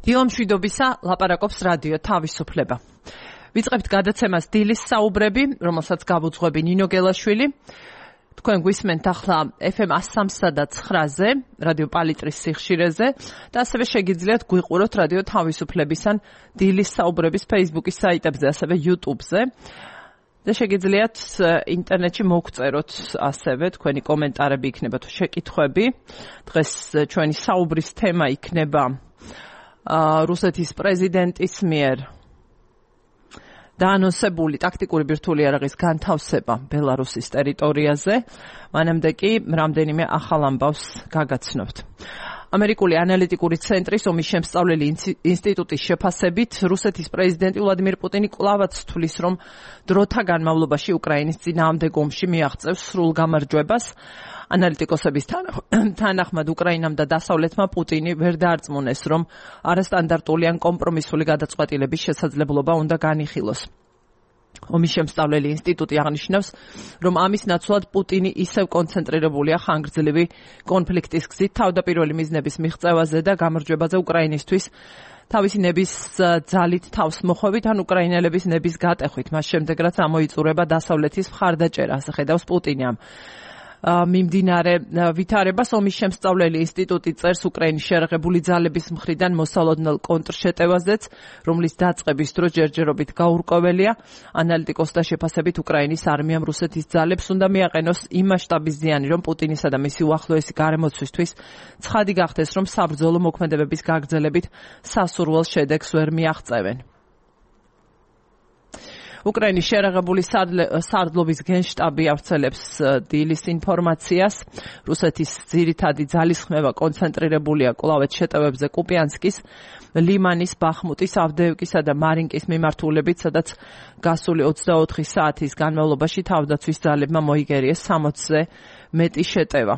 დილამშვიდობისა ლაპარაკობს რადიო თავისუფლება. ვიწყებთ გადაცემას დილის საუბრები, რომელსაც გავუძღვები ნინო გელაშვილი. თქვენ გვისმენთ ახლა FM 103.9-ზე, რადიო პალიტრის სიხშირეზე და ასევე შეგიძლიათ გვიყუროთ რადიო თავისუფლების ან დილის საუბრების Facebook-ის საიტებზე, ასევე YouTube-ზე. და შეგიძლიათ ინტერნეტში მოგწეროთ ასევე თქვენი კომენტარები იქნება თუ შეკითხვები. დღეს ჩვენი საუბრის თემა იქნება რუსეთის პრეზიდენტის მიერ დაანონსებული ტაქტიკური ბირთვული იარაღის განთავსება ბელარუსის ტერიტორიაზე. მანამდე კი რამდენიმე ახალ ამბავს გაგაცნობთ. ამერიკული ანალიტიკური ცენტრის ომის შემსწავლელი ინსტიტუტის შეფასებით რუსეთის პრეზიდენტი ვლადიმիր პუტინი კვლავაც თვლის, რომ დროთა განმავლობაში უკრაინის წინააღმდეგ ომში მიაღწევს სრულ გამარჯვებას. ანალიტიკოსების თანახმად უკრაინამ და დასავლეთმა პუტინი ვერ დაარწმუნეს, რომ არასტანდარტული ან კომპრომისული გადაწყვეტილების შესაძლებლობა უნდა განიხილოს. ომის შემსწავლელი ინსტიტუტი აღნიშნავს, რომ ამის ნაცვლად პუტინი ისევ კონცენტრირებულია ხანგრძლივი კონფლიქტის გზით თავდაპირველი მიზნების მიღწევაზე და გამარჯვებაზე უკრაინისთვის, თავისი ნების ძალით თავს მოხვევით ან უკრაინელების ნების გატეხვით, მას შემდეგ რაც ამოიწურება დასავლეთის მხარდაჭერა, ასე ხედავს პუტინი. მიმდინარე ვითარებას ომის შემსწავლელი ინსტიტუტი წერს უკრაინის შეერაღებული ძალების მხრიდან მოსალოდნელ კონტრშეტევაზეც, რომლის დაწყების დრო ჯერჯერობით გაურკვეველია. ანალიტიკოსთა შეფასებით უკრაინის არმიამ რუსეთის ძალებს უნდა მიაყენოს იმ მასშტაბის ზიანი, რომ პუტინისა და მისი უახლოესი გარემოცვისთვის ცხადი გახდეს, რომ საბრძოლო მოქმედებების გაგრძელებით სასურველ შედეგს ვერ მიაღწევენ. უკრაინის შეერაღებული სარდლობის გენშტაბი ავრცელებს დილის ინფორმაციას. რუსეთის ძირითადი ძალისხმევა კონცენტრირებულია კვლავ შეტევებზე კუპიანსკის, ლიმანის, ბახმუტის, ავდეევკისა და მარინკის მიმართულებით, სადაც გასული 24 საათის განმავლობაში თავდაცვის ძალებმა მოიგერიეს 60-ზე მეტი შეტევა.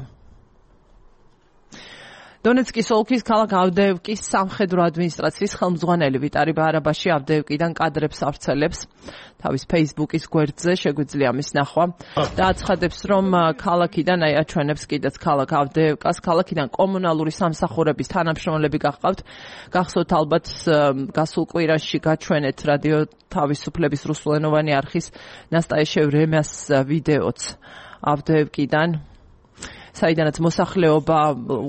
დონეცკის ოლქის ქალაქ ავდეევკის სამხედრო ადმინისტრაციის ხელმძღვანელი ვიტარი ბარაბაში ავდეევკიდან კადრებს ავრცელებს თავის Facebook-ის გვერდზე, შეგვიძლია ამის ნახვა და აცხადებს, რომ ქალაქიდან აჩვენებს კიდეც ქალაქ ავდეევკას, ქალაქიდან კომუნალური სამსახურების თანამშრომლები გახყავთ. გახსოვთ ალბათ გასულ კვირაში გაჩვენეთ რადიო თავისუფლების რუსულენოვანი არხის ნასტაიშევ რემას ვიდეოც ავდეევკიდან, საიდანაც მოსახლეობა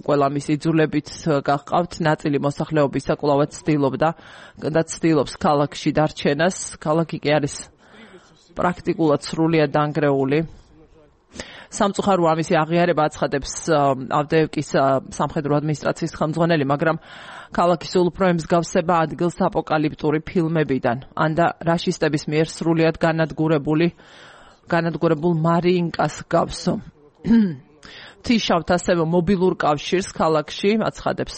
ყველა მის იძულებით გახყავთ. ნაწილი მოსახლეობისა კვლავაც ცდილობს ქალაქში დარჩენას. ქალაქი კი არის პრაქტიკულად სრულიად დანგრეული. სამწუხარო ამისი აღიარება აცხადებს ავდეევკის სამხედრო ადმინისტრაციის ხელმძღვანელი, მაგრამ ქალაქის სულ უფრო ემსგავსება ადგილს აპოკალიპტური ფილმებიდან, ან და რაშისტების მიერ სრულიად განადგურებულ მარიინკას გავსო. თიშავთ ასევე მობილურ კავშირს ქალაქში, აცხადებს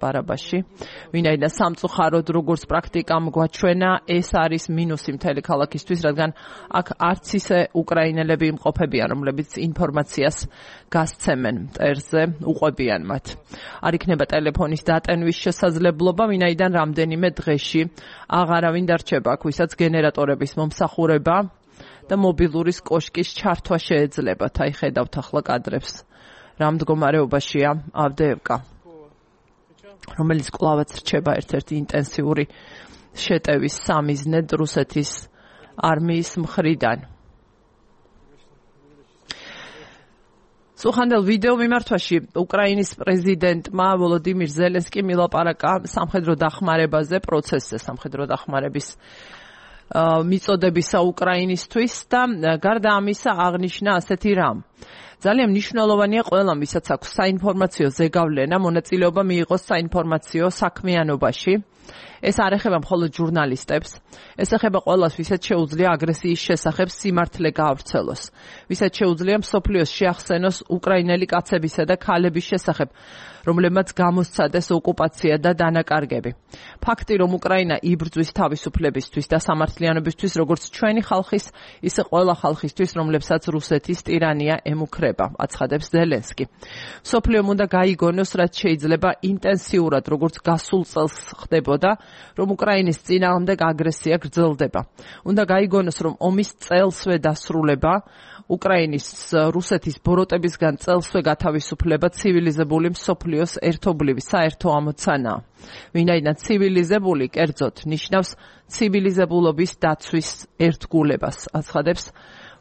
ბარაბაში, ვინაიდან სამწუხაროდ როგორც პრაქტიკამ გვაჩვენა, ეს არის მინუსი მთელი ქალაქისთვის, რადგან აქ არც ისე უკრაინელები იმყოფებიან, რომლებიც ინფორმაციას გასცემენ მტერზე, უყვებიან მათ. არ იქნება ტელეფონის დატენვის შესაძლებლობა, ვინაიდან რამდენიმე დღეში აღარავინ დარჩება აქ, ვისაც გენერატორების მომსახურება და მობილურის კოშკის ჩართვა შეეძლებათ. აი ხედავთ ახლა კადრებს. რა მდგომარეობაშია ავდეევკა, რომელიც კვლავაც რჩება ერთ-ერთი ინტენსიური შეტევის სამიზნედ რუსეთის არმიის მხრიდან. სუხანდელ ვიდეო მიმართვაში უკრაინის პრეზიდენტმა ვოლოდიმირ ზელენსკიმ ილაპარაკა სამხედრო დახმარებაზე, პროცესზე სამხედრო დახმარების მიწოდებისა უკრაინისთვის და გარდა ამისა აღნიშნა ასეთი რამ. ძალიან მნიშვნელოვანია ყველამ, ვისაც აქვს საინფორმაციო ზეგავლენა, მონაწილეობა მიიღოს საინფორმაციო საქმიანობაში. ეს არ ეხება მხოლოდ ჟურნალისტებს, ეს ეხება ყველას, ვისაც შეუძლია აგრესიის შესახებ სიმართლე გაავრცელოს, ვისაც შეუძლია მსოფლიოს შეახსენოს უკრაინელი კაცებისა და ქალების შესახებ, რომლებმაც გამოსცადეს ოკუპაცია და დანაკარგები. ფაქტი, რომ უკრაინა იბრძვის თავისუფლებისთვის და სამართლიანობისთვის, როგორც ჩვენი ხალხის, ისე ყველა ხალხისთვის, რომლებსაც რუსეთის ტირანია ემუქრება, აცხადებს ზელენსკი. მსოფლიომ უნდა გაიგონოს, რაც შეიძლება ინტენსიურად, როგორც გასულ წელს ხდებოდა ირკვევა, რომ უკრაინის წინააღმდეგ აგრესია გრძელდება. უნდა გაიგონოს, რომ ომის წელსვე დასრულება უკრაინის რუსეთის ბოროტებისგან წელსვე გათავისუფლება ცივილიზებული მსოფლიოს ერთობლივი საერთო ამოცანაა. ვინაიდან ცივილიზებული კერძოდ ნიშნავს ცივილიზებულობის დაცვის ერთგულებას, აცხადებს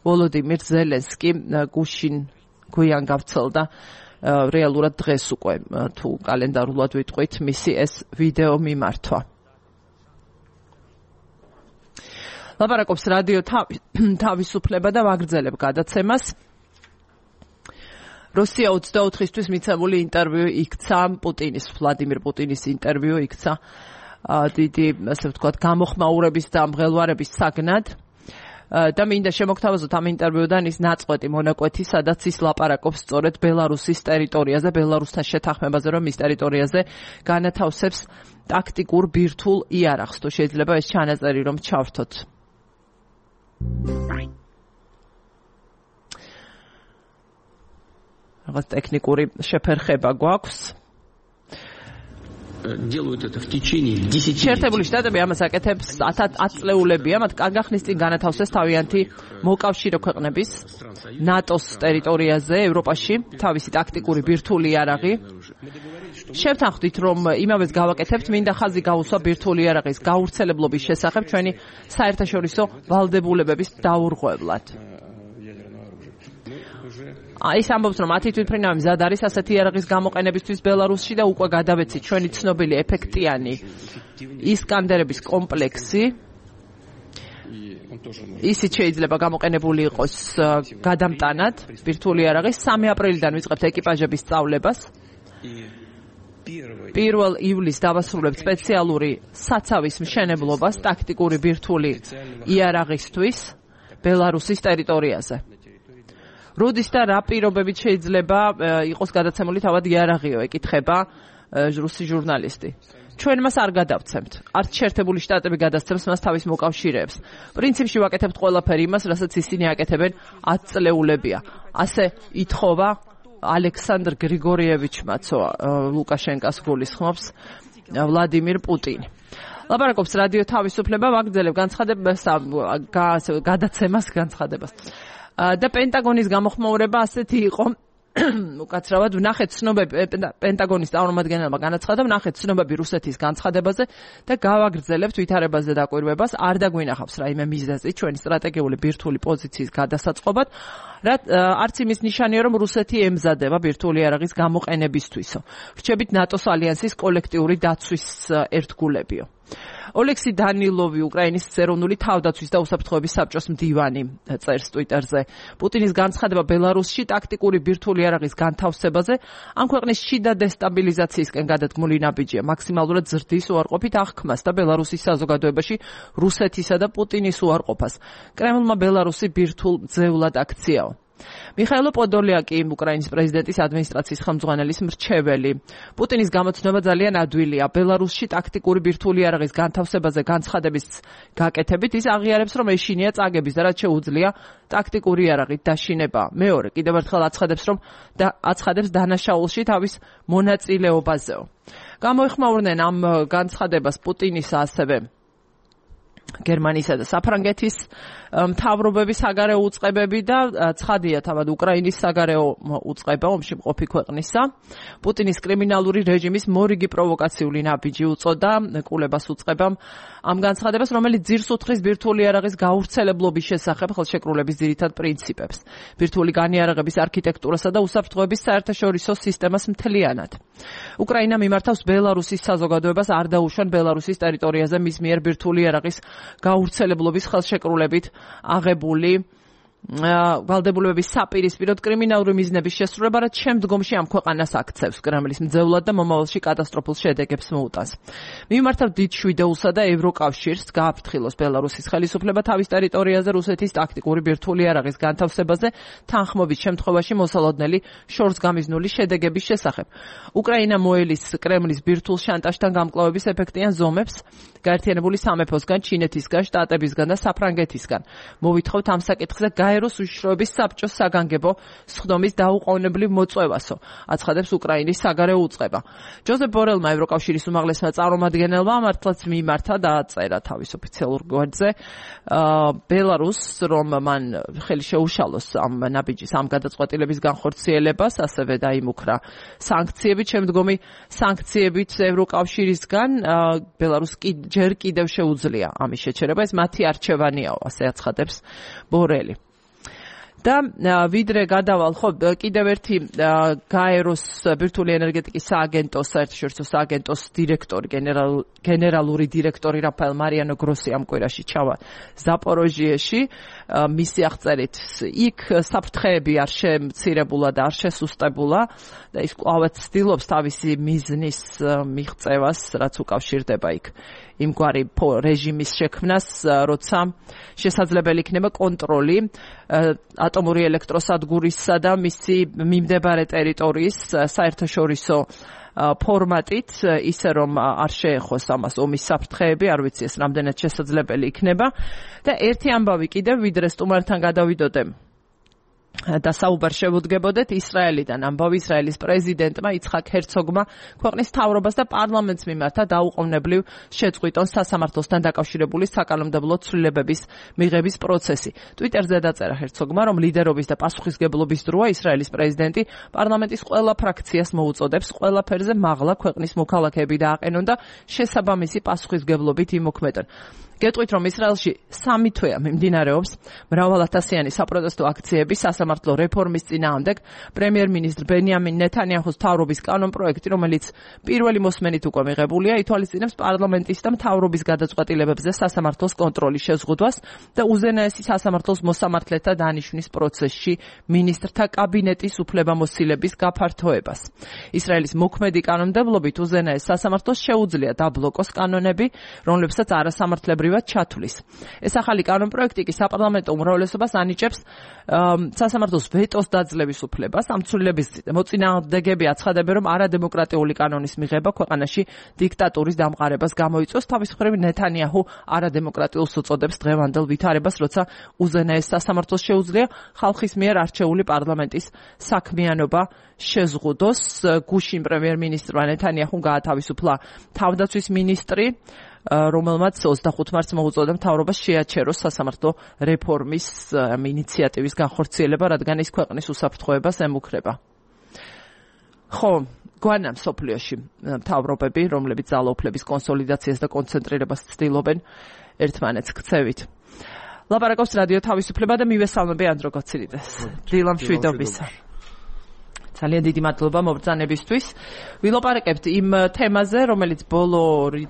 ვოლოდიმირ ზელენსკი გუშინ გვიან გავრცელდა რეალურად დღეს უკვე თუ კალენდარულად ვიტყვით მისი ეს ვიდეო მიმართვა. ლაპარაკობს რადიო თავისუფლება და ვაგრძელებ გადაცემას. რუსია 24-ისთვის მიცემული ინტერვიუ იქცა პუტინის, ვლადიმირ პუტინის ინტერვიუ იქცა დიდი, ასე ვთქვათ, გამოხმაურების და მღელვარების საგნად. და მინდა შემოგთავაზოთ ამ ინტერვიუდან ის ნაწყვეტი მონაკვეთი, სადაც ის ლაპარაკობს სწორედ ბელარუსის ტერიტორიაზე, ბელარუსთან შეთანხმებაზე, რომ ის ტერიტორიაზე განათავსებს ტაქტიკურ ბირთვულ იარაღს. თუ შეიძლება ეს ჩანაწერი რომ ჩავრთოთ. რაღაც ტექნიკური შეფერხება გვაქვს. делают это в течение 10 лет. შეერთებული შტატები ამას აკეთებს 10 წლეულებია, მათ კანგახნის წინ განათავსეს თავიანთი მოკავშირე ქვეყნების ნატოს ტერიტორიაზე, ევროპაში, თავისი ტაქტიკური ბირთვული იარაღი. შევთანხმდით, რომ იმავეს გავაკეთებთ, მინდა ხაზი გაუსვა ბირთვული იარაღის გავრცელებლობის შესახებ ჩვენი საერთაშორისო ვალდებულებების დაურღვევლად. ის ამბობს, რომ 10 თვითმფრინავი მზად არის ასეთი იარაღის გამოყენებისთვის ბელარუსში და უკვე გადავეცით ჩვენი ცნობილი ეფექტიანი ისკანდერების კომპლექსი. ისიც შეიძლება გამოყენებული იყოს გადამტანად ბირთვული იარაღის. 3 აპრილიდან ვიწყებთ ეკიპაჟების სწავლებას. 1 ივლისს დავასრულებთ სპეციალური საცავის მშენებლობას ტაქტიკური ბირთვული იარაღისთვის ბელარუსის ტერიტორიაზე. როდის და რა პირობებით შეიძლება იყოს გადაცემული თავად იარაღიო, ეკითხება რუსი ჟურნალისტი. ჩვენ მას არ გადავცემთ. არც შეერთებული შტატები გადასცემს მას თავის მოკავშირეებს. პრინციპში ვაკეთებთ ყველაფერი იმას, რასაც ისინი აკეთებენ 10 წლეულებია. ასე ითხოვა ალექსანდრ გრიგორიევიჩმაც ლუკაშენკას გულისხმობს ვლადიმირ პუტინი. ლაპარაკობს რადიო თავისუფლება, ვაგრძელებ გადაცემას განცხადებას. და პენტაგონის გამოხმაურება ასეთი იყო, უკაცრავად ვნახეთ ცნობები, პენტაგონის წარმომადგენელმა განაცხადა, ვნახეთ ცნობები რუსეთის განცხადებაზე და გავაგრძელებთ ვითარებაზე დაკვირვებას, არ დაგვინახავს რაიმე მიზეზი ჩვენი სტრატეგიული ბირთვული პოზიციის გადასაწყობად, არც იმის ნიშანია, რომ რუსეთი ემზადება ბირთვული იარაღის გამოყენებისთვისო. რჩებით ნატოს ალიანსის კოლექტიური დაცვის ერთგულებიო. ოლექსი დანილოვი, უკრაინის ეროვნული თავდაცვის და უსაფრთხოების საბჭოს მდივანი, წერს ტვიტერზე. პუტინის განცხადება ბელარუსში ტაქტიკური ბირთვული იარაღის განთავსებაზე ამ ქვეყნის შიდა დესტაბილიზაციისკენ გადადგმული ნაბიჯია. მაქსიმალურად ზრდის უარყოფით აღქმას და ბელარუსის საზოგადოებაში რუსეთისა და პუტინის უარყოფას. კრემლმა ბელარუსი ბირთვულ ძევლად აქციაო. მიხაილო პოდოლიაკი, უკრაინის პრეზიდენტის ადმინისტრაციის ხელმძღვანელის მრჩეველი. პუტინის გამოცნობა ძალიან ადვილია. ბელარუსში ტაქტიკური ბირთვული იარაღის განთავსებაზე განცხადების გაკეთებით ის აღიარებს, რომ ეშინია წაგების და რაც შეუძლია ტაქტიკური იარაღით დაშინება. მეორე, კიდევ ერთხელ აცხადებს დანაშაულში თავის მონაწილეობაზეო. გამოეხმაურნენ ამ განცხადებას პუტინისა ასევე გერმანისა და საფრანგეთის მთავრობების საგარეო უწყებები და ცხადია თავად უკრაინის საგარეო უწყება ომში მყოფი ქვეყნისა. პუტინის კრიმინალური რეჟიმის მორიგი პროვოკაციული ნაბიჯი უწოდა კულებას უწყებამ ამ განცხადებას, რომელიც ძირს უთხრის ბირთვული იარაღის გავრცელებლობის შესახებ ხელშეკრულების ძირითად პრინციპებს, ბირთვული განიარაღების არქიტექტურასა და უსაფრთხოების საერთაშორისო სისტემას მთლიანად. უკრაინა მიმართავს ბელარუსის საზოგადოებას არ დაუშვან ბელარუსის ტერიტორიაზე მის მიერ ბირთვული იარაღის გავრცელებლობის ხელშეკრულებით აღებული ვალდებულებების საპირისპიროდ კრიმინალური მიზნების შესრულება, რაც შემდგომში ამ ქვეყანას აქცევს კრემლის მძევლად და მომავალში კატასტროფულ შედეგებს მოუტანს. მიმართავ დიდ შვიდეულსა და ევროკავშირს გააფრთხილოს ბელარუსის ხელისუფლება თავის ტერიტორიაზე რუსეთის ტაქტიკური ბირთვული იარაღის განთავსებაზე თანხმობის შემთხვევაში მოსალოდნელი შორსგამიზნული შედეგების შესახებ. უკრაინა მოელის კრემლის ბირთვულ შანტაჟთან გამკლავების ეფექტიან ზომებს გაერთიანებული სამეფოსგან, ჩინეთისგან, შტატებისგან და საფრანგეთისგან. მოვითხოვთ ამ საკითხზე გაეროს უშიშროების საბჭოს საგანგებო სხდომის დაუყოვნებლივ მოწვევასო, აცხადებს უკრაინის საგარეო უწყება. ჯოზეფ ბორელმა ევროკავშირის უმაღლესმა წარმომადგენელმა მართლაც მიმართა და აწერა თავის ოფიციალურ გვერდზე ბელარუსს, რომ მან ხელი შეუშალოს ამ ნაბიჯის ამ გადაწყვეტილების განხორციელებას, ასევე დაიმუქრა სანქციებით, შემდგომი სანქციებით ევროკავშირისგან ბელარუსს ჯერ კიდევ შეუძლია ამის შეჩერება, ეს მათი არჩევანიაო, ასე აცხადებს ბორელი. და ვიდრე გადავალ ხო კიდევ ერთი გაეროს ბირთვული ენერგეტიკის სააგენტოს საერთაშორისო სააგენტოს დირექტორი გენერალური დირექტორი რაფაელ მარიანო გროსი ამ კვირაში ჩავა ზაპოროჟიეში მისი აღწერით იქ საფრთხეები არ შემცირებულა და არ შესუსტებულა და ის კვლავაც ცდილობს თავისი მიზნის მიღწევას რაც უკავშირდება იქ იმგვარი რეჟიმის შექმნას, როცა შესაძლებელი იქნება კონტროლი ატომური ელექტროსადგურისა და მისი მიმდებარე ტერიტორიის საერთაშორისო ფორმატით, ისე რომ არ შეეხოს ამას ომის საფრთხეები, არ ვიცი ეს რამდენად შესაძლებელი იქნება და ერთი ამბავი კიდევ ვიდრე სტუმართან გადავიდოდე და საუბარ შევუდგებოდეთ ისრაელიდან ამბავი ისრაელის პრეზიდენტმა იცხაკ ჰერცოგმა ქვეყნის მთავრობას და პარლამენტს მიმართა დაუყოვნებლივ შეწყვიტონ სასამართლოსთან დაკავშირებული საკანონმდებლო ცვლილებების მიღების პროცესი. ტვიტერზე დაწერა ჰერცოგმა, რომ ლიდერობის და პასუხისგებლობის დროა ისრაელის პრეზიდენტი პარლამენტის ყველა ფრაქციას მოუწოდებს ყველაფერზე მაღლა ქვეყნის მოქალაქეები დააყენონ და შესაბამისი პასუხისგებლობით იმოქმედონ. გეტყვით, რომ ისრაელში 3 თვეა მიმდინარეობს მრავალათასიანი საპროტესტო აქციები სასამართლო რეფორმის წინააღმდეგ. პრემიერ-მინისტრ ბენიამინ ნეთანიაჰუს მთავრობის კანონპროექტი, რომელიც პირველი მოსმენით უკვე მიღებულია, ითვალისწინებს პარლამენტის და მთავრობის გადაწყვეტილებებზე სასამართლოს კონტროლის შეზღუდვას და უზენაესი სასამართლოს მოსამართლეთა დანიშვნის პროცესში მინისტრთა კაბინეტის უფლებამოსილების გაფართოებას. ისრაელის მოქმედი კანონმდებლობით უზენაეს სასამართლოს შეუძლია დაბლოკოს კანონები, რომლებსაც არასამართლებრივად ჩათვლის. ეს ახალი კანონპროექტი კი საპარლამენტო უმრავლესობას ანიჭებს სასამართლოს ვეტოს დაძლევის უფლებას. ამ ცვლილების მოწინააღმდეგები აცხადებენ, რომ არადემოკრატიული კანონის მიღება ქვეყანაში დიქტატურის დამყარებას გამოიწვევს. თავის მხრივ ნეთანიაჰუ არადემოკრატიულს უწოდებს დღევანდელ ვითარებას, როცა უზენაეს სასამართლოს შეუძლია ხალხის მიერ არჩეული პარლამენტის საქმიანობა შეზღუდოს. გუშინ პრემიერ-მინისტრმა ნეთანიაჰუმ გაათავისუფლა თავდაცვის მინისტრი, რომელმაც 25 მარტს მოუწოდა მთავრობას შეაჩეროს სასამართლო რეფორმის ინიციატივის განხორციელება, რადგან ის ქვეყნის უსაფრთხოებას ემუქრება. ხო, გვანამ სოფლიოში მთავრობები, რომლებიც ძალაუფლების კონსოლიდაციას და კონცენტრირებას ცდილობენ ერთმანეთს ქცევით. ლაპარაკობს რადიო თავისუფლება და მივესალმები ანდრო გოცირიდეს. დილა მშვიდობისა. ძალიან დიდი მადლობა მობრძანებისთვის. ვილაპარაკებთ იმ თემაზე, რომელიც ბოლო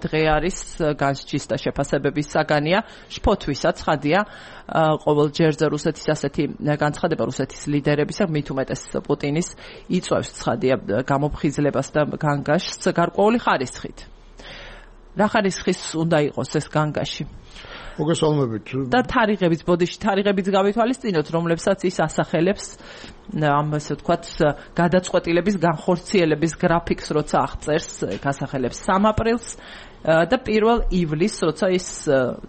დღე არის განსჯის და შეფასებების საგანია, შფოთვისაც ხადია ყოველ ჯერზე რუსეთის ასეთი განცხადება რუსეთის ლიდერებისა, მით უმეტეს პუტინის იწვევს ცხადია გამოფხიზლებას და განგაშს გარკვეული ხარისხით. რა ხარისხის უნდა იყოს ეს განგაში? მოგესალმებით. და თარიღების ბოდიში თარიღებიც გავითვალისწინოთ, რომლებსაც ის ასახელებს ამ ასე ვთქვათ გადაწყვეტილების განხორციელების გრაფიკს, როცა აღწერს, გასახელებს 3 აპრილს და 1 ივლისს, როცა ის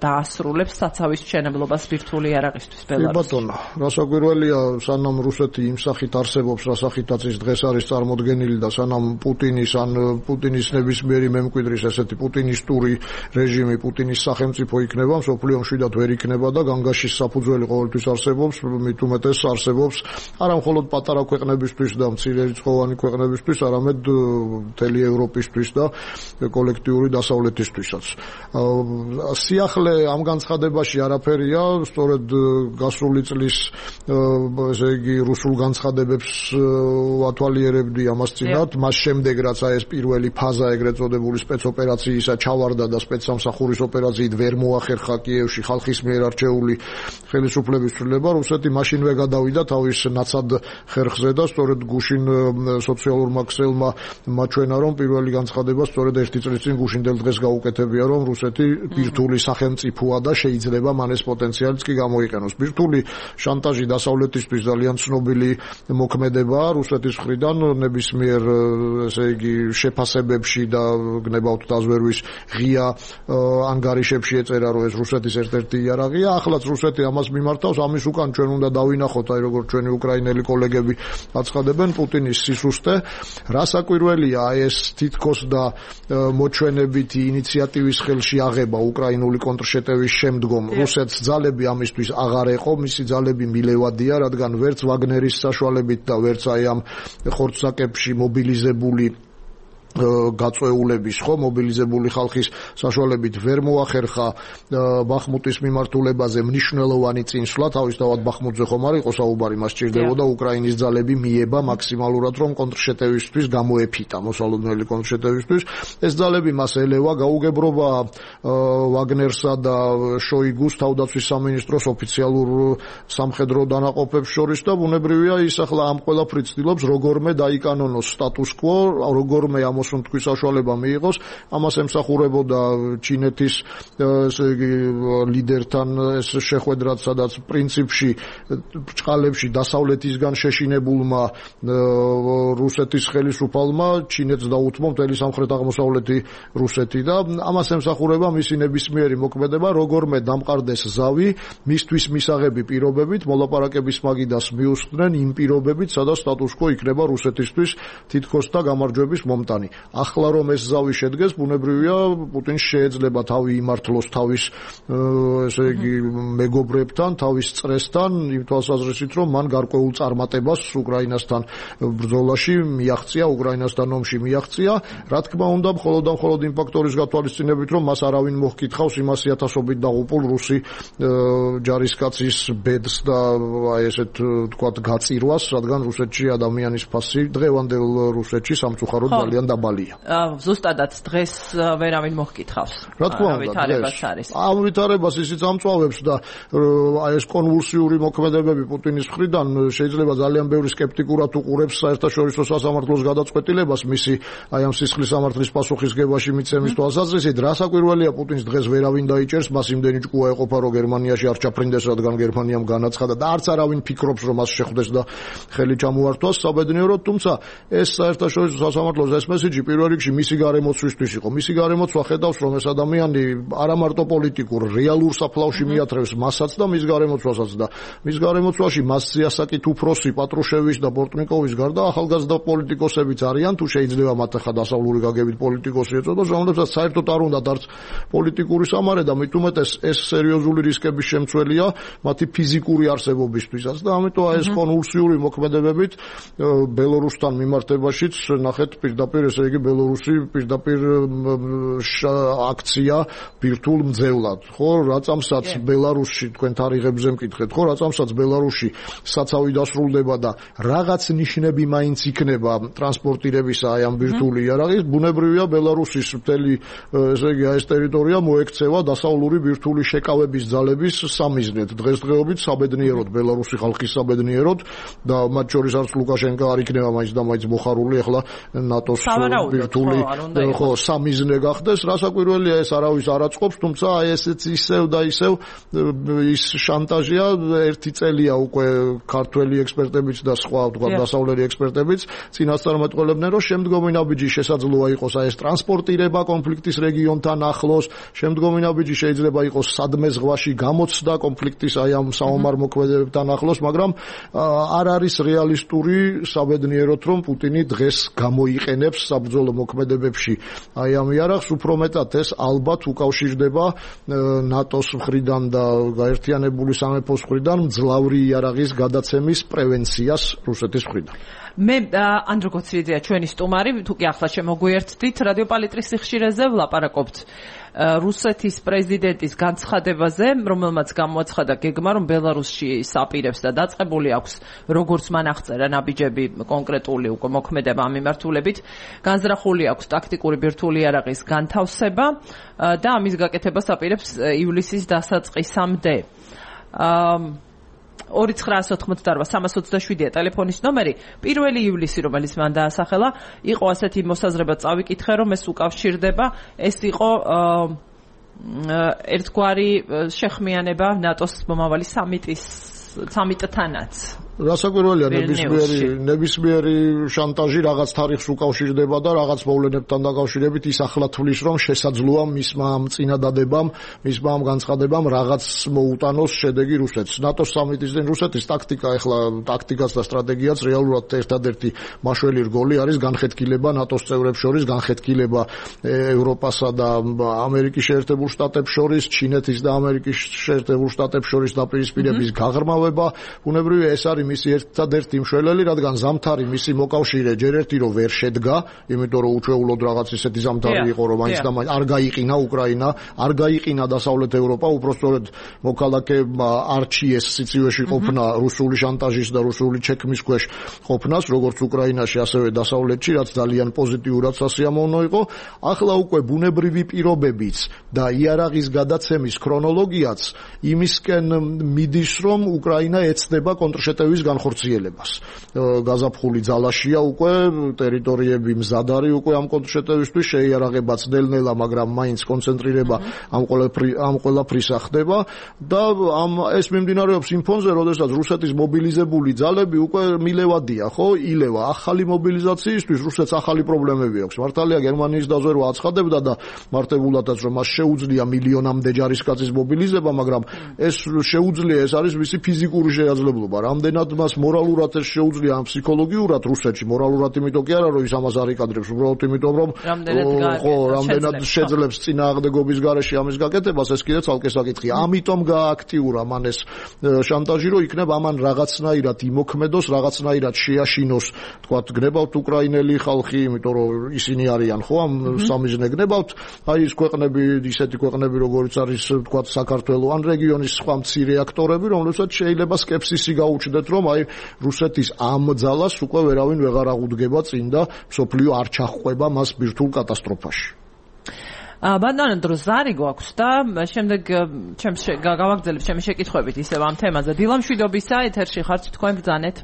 დაასრულებს საცავის მშენებლობას ბირთვული იარაღისთვის ბელარუსში. ბატონო, რასაკვირველია, სანამ რუსეთი იმ სახით არსებობს, რა სახითაც ის დღეს არის წარმოდგენილი და სანამ პუტინის ან პუტინის ნებისმიერი მემკვიდრის ესეთი პუტინისტური რეჟიმი, პუტინის სახელმწიფო იქნება, მსოფლიო მშვიდად ვერ იქნება და განგაშის საფუძველი ყოველთვის არსებობს, მით უმეტეს არსებობს არა მხოლოდ პატარა ქვეყნებისთვის და მცირერიცხოვანი ქვეყნებისთვის, არამედ მთელი ევროპისთვის და კოლექტიური დასავლეთისთვისაც. სიახლე ამ განცხადებაში არაფერია, სწორედ გასული წლის ესე იგი რუსულ განცხადებებს ვათვალიერებდი ამას წინათ, მას შემდეგ რაც ეს პირველი ფაზა ეგრეთ წოდებული სპეცოპერაციისა ჩავარდა და სპეცსამსახურის ოპერაციით ვერ მოახერხა კიევში ხალხის მიერ არჩეული ხელისუფლების ცვლილება, რუსეთი მაშინვე გადავიდა თავის ნაცად ხერხზე და სწორედ გუშინ სოციალურმა ქსელმა მაჩვენა, რომ პირველი განცხადება სწორედ ერთი წლის წინ გუშინდელ დღეს დღეს გაუკეთებია, რომ რუსეთი ბირთვული სახელმწიფოა და შეიძლება მან ეს პოტენციალიც კი გამოიყენოს. ბირთვული შანტაჟი დასავლეთისთვის ძალიან ცნობილი მოქმედებაა რუსეთის მხრიდან ნებისმიერ ესე იგი შეფასებებში და გნებავთ დაზვერვის ღია ანგარიშებში ეწერა, რომ ეს რუსეთის ერთ-ერთი იარაღია. ახლაც რუსეთი ამას მიმართავს, ამის უკან ჩვენ უნდა დავინახოთ, აი როგორც ჩვენი უკრაინელი კოლეგები აცხადებენ, პუტინის სისუსტე. რა საკვირველია ეს თითქოს და მოჩვენებითი ინიციატივის ხელში აღება უკრაინული კონტრშეტევის შემდგომ რუსეთს ძალები ამისთვის აღარ ეყო, მისი ძალები მილევადია, რადგან ვერც ვაგნერის საშუალებით და ვერც აი ამ ხორცსაკებში მობილიზებული გაწეულების მობილიზებული ხალხის საშუალებით ვერ მოახერხა ბახმუტის მიმართულებაზე მნიშვნელოვანი წინსვლა, თავისთავად ბახმუტზე ხომ არ იყო საუბარი, მას სჭირდებოდა უკრაინის ძალები მიება მაქსიმალურად, რომ კონტრშეტევისთვის გამოეფიტა, მოსალოდნელი კონტრშეტევისთვის. ეს ძალები მას ელევა, გაუგებრობა ვაგნერსა და შოიგუს თავდაცვის სამინისტროს ოფიციალურ სამხედრო დანაყოფებს შორის და ბუნებრივია ის ახლა ამ ყველაფრით ცდილობს როგორმე დაიკანონოს სტატუს კვო, როგორმე თქვის საშუალება მიიღოს, ამას ემსახურებოდა ჩინეთის ესე იგი ლიდერთან ეს შეხვედრაც, სადაც პრინციპში ბრჭყალებში დასავლეთისგან შეშინებულმა რუსეთის ხელისუფალმა ჩინეთს დაუთმო მთელი სამხრეთ-აღმოსავლეთი რუსეთი და ამას ემსახურება მისი ნებისმიერი მოქმედება, როგორმე დამყარდეს ზავი მისთვის მისაღები პირობებით, მოლაპარაკების მაგიდას მიუსხდნენ იმ პირობებით, სადაც სტატუს კვო იქნება რუსეთისთვის თითქოს და გამარჯვების მომტანი. ახლა რომ ეს ზავი შედგეს, ბუნებრივია პუტინს შეეძლება თავი იმართლოს თავის ესე იგი მეგობრებთან, თავის წრესთან, იმ თვალსაზრისით, რომ მან გარკვეულ წარმატებას უკრაინასთან ბრძოლაში მიაღწია, უკრაინასთან ომში მიაღწია. რა თქმა უნდა, მხოლოდ იმ ფაქტორის გათვალისწინებით, რომ მას არავინ მოჰკითხავს იმ 100,000-ობით დაღუპულ რუსი ჯარისკაცის ბედს და აი ესეთ თქვათ გაწირვას, რადგან რუსეთში ადამიანის ფასი დღევანდელ რუსეთში სამწუხაროდ ძალიან დაბალია. ზუსტადაც დღეს ვერავინ მოჰკითხავს. რა თქმა უნდა, ამ ვითარებას ისიც ამწვავებს და აი ეს კონვულსიური მოქმედებები პუტინის მხრიდან შეიძლება ძალიან ბევრი სკეპტიკურად უყურებს საერთაშორისო სასამართლოს გადაწყვეტილებას მისი აი ამ სისხლის სამართლის პასუხისგებაში მიცემის თვალსაზრისით. რა საკვირველია პუტინს დღეს ვერავინ დაიჭერს, მას იმდენი ჭკუა ეყოფა, რომ გერმანიაში არ ჩაფრინდეს, რადგან გერმანიამ განაცხადა და არც არავინ ფიქრობს, რომ მას შეხვდეს და ხელი ჩამოართვას საბედნიეროდ, თუმცა ეს საერთაშორისო სასამართლოს ეს მესიჯი პირველ რიგში მისი გარემოცვისთვის იყო. მისი გარემოცვა ხედავს, რომ ეს ადამიანი არა მარტო პოლიტიკურ, რეალურ საფლავში მიათრევს მასაც და მის გარემოცვასაც და მის გარემოცვაში მას სიასაკით უფროსი პატრუშევის და ბორტნიკოვის გარდა ახალგაზრდა პოლიტიკოსებიც არიან, თუ შეიძლება მათ ახლა დასავლური გაგებით პოლიტიკოსი ეწოდოს, რომლებსაც საერთოდ არ უნდათ არც პოლიტიკური სამარე და მით უმეტეს ეს სერიოზული რისკების შემცველია მათი ფიზიკური არსებობისთვისაც და ამიტომ ეს კონვულსიური მოქმედებებით ბელორუსთან მიმართებაშიც ნახეთ პირდაპირ ესე იგი ბელორუსი პირდაპირ აქცია ბირთვულ მძევლად. ხო, რაწამსაც ბელარუსში თქვენ თარიღებზე მკითხეთ, ხო, რაწამსაც ბელარუსში საცავი დასრულდება და რაღაც ნიშნები მაინც იქნება ტრანსპორტირებისა აი ამ ბირთვული იარაღის, ბუნებრივია ბელარუსის მთელი ესე იგი ეს ტერიტორია მოექცევა დასავლური ბირთვული შეკავების ძალების სამიზნედ. დღესდღეობით საბედნიეროდ ბელარუსი ხალხის საბედნიეროდ და მათ შორის არც ლუკაშენკო არ იქნება მაინც და მაინც მოხარული ახლა ნატოს ბირთვული ხო სამიზნე გახდეს. რა საკვირველია ეს არავის არ აწყობს, თუმცა აი ესეც ისევ და ისევ ის შანტაჟია. ერთი წელია უკვე ქართველი ექსპერტებიც და სხვა თქვა დასავლელი ექსპერტებიც წინასწარმეტყველებდნენ, რომ შემდგომი ნაბიჯი შესაძლოა იყოს აი ეს ტრანსპორტირება კონფლიქტის რეგიონთან ახლოს, შემდგომი ნაბიჯი შეიძლება იყოს სადმე ზღვაში გამოცდა კონფლიქტის აი ამ საომარ მოქმედებებთან ახლოს, მაგრამ არ არის რეალისტური საბედნიეროდ, რომ პუტინი დღეს გამოიყენებს საბრძოლო მოქმედებებში აი ამ იარაღს, უფრო მეტად ეს ალბათ უკავშირდება ნატოს მხრიდან და გაერთიანებული სამეფოს მხრიდან მძლავრი იარაღის გადაცემის პრევენციას რუსეთის მხრიდან. მე ანდრო გოცვიძეა ჩვენი სტუმარი, თუ კი ახლა შემოგვიერთდით რადიო პალიტრის სიხშირეზე ვლაპარაკობთ რუსეთის პრეზიდენტის განცხადებაზე, რომელმაც გამოაცხადა გეგმა, რომ ბელარუსში საპირებს და დაწყებული აქვს როგორც მან აღწერა ნაბიჯები კონკრეტული უკვე მოქმედება ამ მიმართულებით, განზრახული აქვს ტაქტიკური ბირთვული იარაღის განთავსება და ამის გაკეთებას აპირებს ივლისის დასაწყისამდე. 2988327-ია ტელეფონის ნომერი. 1 ივლისი, რომელიც მან დაასახელა, იყო ასეთი მოსაზრება წავიკითხე, რომ ეს უკავშირდება, ეს იყო ერთგვარი შეხმიანება ნატოს მომავალი სამიტთანაც. რასაკვირველია, ნებისმიერი შანტაჟი რაღაც თარიღს უკავშირდება და რაღაც მოვლენებთან დაკავშირებით ის ახლა თვლის, რომ შესაძლოა მისმა ამ წინადადებამ, მისმა ამ განცხადებამ რაღაც მოუტანოს შედეგი რუსეთს. ნატოს სამიტის წინ რუსეთის ტაქტიკაც და სტრატეგიაც რეალურად ერთადერთი მაშველი რგოლი არის განხეთქილება ნატოს წევრებს შორის, განხეთქილება ევროპასა და ამერიკის შეერთებულ შტატებს შორის, ჩინეთის და ამერიკის შეერთებულ შტატებს შორის დაპირისპირების გაღრმავება. ბუნებრივია, ეს არის მისი ერთადერთი მშველელი, რადგან ზამთარი მისი მოკავშირე ჯერ ერთი რომ ვერ შედგა, იმიტომ რომ უჩვეულოდ რაღაც ისეთი ზამთარი იყო, რომ მაინც და მაინც არ გაიყინა უკრაინა, არ გაიყინა დასავლეთ ევროპა, უпростоრად მოქალაქეებმა არჩიეს სიცივეში ყოფნა რუსული შანტაჟის და რუსული ჩექმის ქვეშ ყოფნას, როგორც უკრაინაში, ასევე დასავლეთში, რაც ძალიან პოზიტიურად სასიამოვნო იყო. ახლა უკვე ბუნებრივი პირობებიც და იარაღის გადაცემის ქრონოლოგიაც იმისკენ მიდის, რომ უკრაინა ეცდება კონტრშეტევის განხორციელებას. გაზაფხული ძალაშია უკვე, ტერიტორიები მზად არის უკვე ამ კონტრშეტევისთვის, შეიარაღებაც ნელ-ნელა, მაგრამ მაინც კონცენტრირება ამ ყველაფრისა ხდება და ეს მიმდინარეობს იმ ფონზე, როდესაც რუსეთის მობილიზებული ძალები უკვე მილევადია, ხო? ილევა. ახალი მობილიზაციისთვის რუსეთს ახალი პრობლემები აქვს. მართალია გერმანიის დაზვერვა აცხადებდა და მართებულადაც რომ მას შეუძლია მილიონამდე ჯარისკაცის მობილიზება, მაგრამ ეს შეუძლია, ეს არის მისი ფიზიკური შეაძლებლობა. რამდენად მას მორალურად ეს შეუძლია, ან ფსიქოლოგიურად რუსეთში, მორალურად იმიტომ კი არა, რომ ის ამას არ იკადრებს, უბრალოდ იმიტომ რომ რამდენად შეძლებს წინააღმდეგობის გარეშე ამის გაკეთებას, ეს კიდე ცალკე საკითხია. ამიტომ გააქტიურა მან ეს შანტაჟი, რომ იქნებ ამან რაღაცნაირად იმოქმედოს, რაღაცნაირად შეაშინოს, თქვათ, გნებავთ უკრაინელი ხალხი, იმიტომ რომ ისინი არიან, ხო, ამ სამიზნე გნებავთ, აი ეს ქვეყნები, ისეთი ქვეყნები, როგორც არის, თქვათ, საქართველო, ან რეგიონის სხვა მცირე აქტორები, რომლებსაც შეიძლება სკეპსისი გაუჩნდეთ, რომ აი რუსეთის ამ ძალას უკვე ვერავინ ვეღარ აღუდგება წინ და მსოფლიო არ ჩაჰყვება მას ბირთვულ კატასტროფაში. ბატონო, დროს არი გვაქვს და შემდეგ გავაგრძელებ ჩემი შეკითხვებით ისევ ამ თემაზე. დილამშვიდობისა, ეთერში ხართ, თქვენ ბრძანეთ.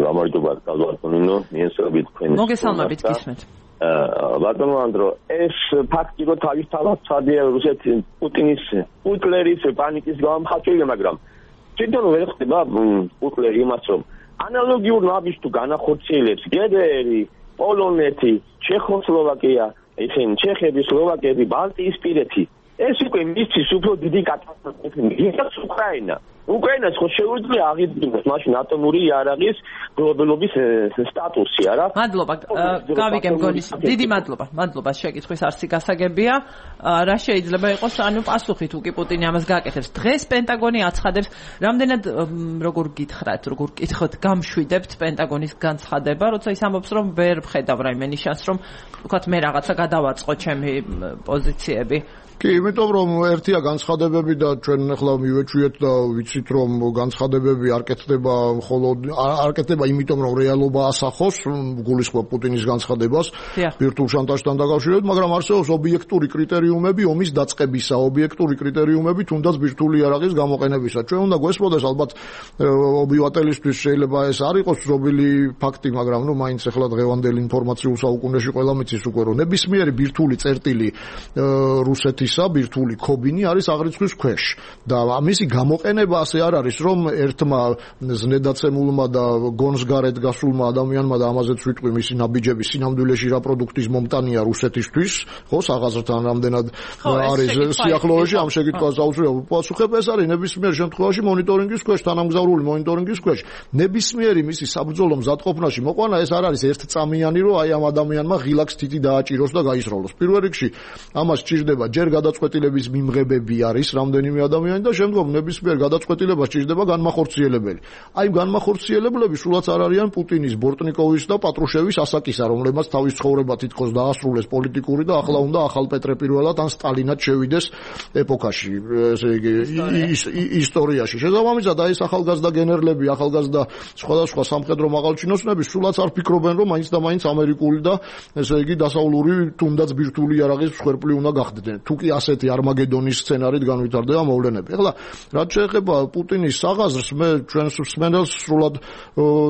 გამარჯობა, ბატონო, მიესალმებით თქვენ. მოგესალმებით, გისმენთ. ბატონო ანდრო, ეს ფაქტი რომ თავისთავად ცადია რუსეთის პუტლერის პანიკის გამომხატველი, მაგრამ თვითონ ვერ ხდება პუტლერი იმას, რომ ანალოგიურ ნაბიჯს თუ განახორციელებს გდრ, პოლონეთი, ჩეხოსლოვაკია, ისინი ჩეხები, სლოვაკები, ბალტიისპირეთი, ეს უკვე მისთვის უფრო დიდი კატასტროფა უკრაინა. უკრაინას ხო შეუძლია აღიდგინოს მაშინ ატომური იარაღის გლობალობის სტატუსი, არა? მადლობა, გავიგე მგონი. დიდი მადლობა შეკითხვის არსი გასაგებია. რა შეიძლება იყოს, ანუ პასუხი თუ კი პუტინი ამას გააკეთებს. დღეს პენტაგონი აცხადებს, რამდენად როგორ გითხოთ, გამშვიდებთ პენტაგონის განცხადება, როცა ის ამბობს, რომ ვერ ვხედავ რაიმე ნიშანს, რომ თქვათ მე რაღაცა გადავაწყო ჩემი პოზიციები. კი, იმიტომ რომ ერთია განცხადებები და ჩვენ ახლა მივეჩვიეთ და ვიცით რომ განცხადებები არ კეთდება იმიტომ რომ რეალობა ასახოს, გულისხმობ პუტინის განცხადებას ბირთვულ შანტაჟთან დაკავშირებით, მაგრამ არსებობს ობიექტური კრიტერიუმები ომის დაწყებისა, ობიექტური კრიტერიუმები თუნდაც ბირთვული იარაღის გამოყენებისა. ჩვენ უნდა გვესმოდეს, ალბათ ობივატელისთვის შეიძლება ეს არ იყოს ცნობილი ფაქტი, მაგრამ მაინც ახლა დღევანდელი ინფორმაციულ საუკუნეში ყველა მიცის უკვე რომ ნებისმიერი ბირთვული წერტილი რუსეთის ბირთვული ქობინი არის აღრიცხვის ქვეშ და მისი გამოყენება ასე არ არის, რომ ერთმა ზნედაცემულმა და გონსგარეთ გასულმა ადამიანმა და ამაზეც ვიტყვი მისი ნაბიჯები სინამდვილეში რა პროდუქტის მომტანია რუსეთისთვის, ხო, საღაზრთან რამდენად არის სიახლოვეში, ამ შეკითხვას აუცილებლად პასუხებ, ეს არის ნებისმიერ შემთხვევაში მონიტორინგის ქვეშ, თანამგზავრული მონიტორინგის ქვეშ. ნებისმიერი მისი საბრძოლო მზადყოფნაში მოყვანა ეს არ არის ერთწამიანი, რომ აი ამ ადამიანმა ღილაკს თითი დააჭიროს და გაისროლოს. პირველ რიგში ამას სჭირდება ჯერ გადაწყვეტილების მიმღებები არის რამდენიმე ადამიანი და შემდგომ ნებისმიერ გადაწყვეტილებას სჭირდება განმახორციელებელი. აი განმახორციელებლები სულაც არ არიან პუტინის, ბორტნიკოვის და პატრუშევის ასაკისა, რომლებმაც თავის ცხოვრება თითქოს დაასრულეს პოლიტიკური და ახლა უნდა ახალ პეტრე პირველად ან სტალინად შევიდეს ეპოქაში, ესე იგი ისტორიაში. შესაბამისად, აი ეს ახალგაზრდა გენერლები, ახალგაზრდა სხვადასხვა სამხედრო მაღალჩინოსნები სულაც არ ფიქრობენ, რომ მაინც და მაინც ამერიკული და ესე იგი დასავლური თუნდაც ბირთვული იარაღის მსხვერპლი უნდა გახდნენ. თუ კი კი ასეთი არმაგედონის სცენარით განვითარდება მოვლენები. ეხლა რაც შეეხება პუტინის საღაზრს, მე ჩვენს მსმენელს სრულად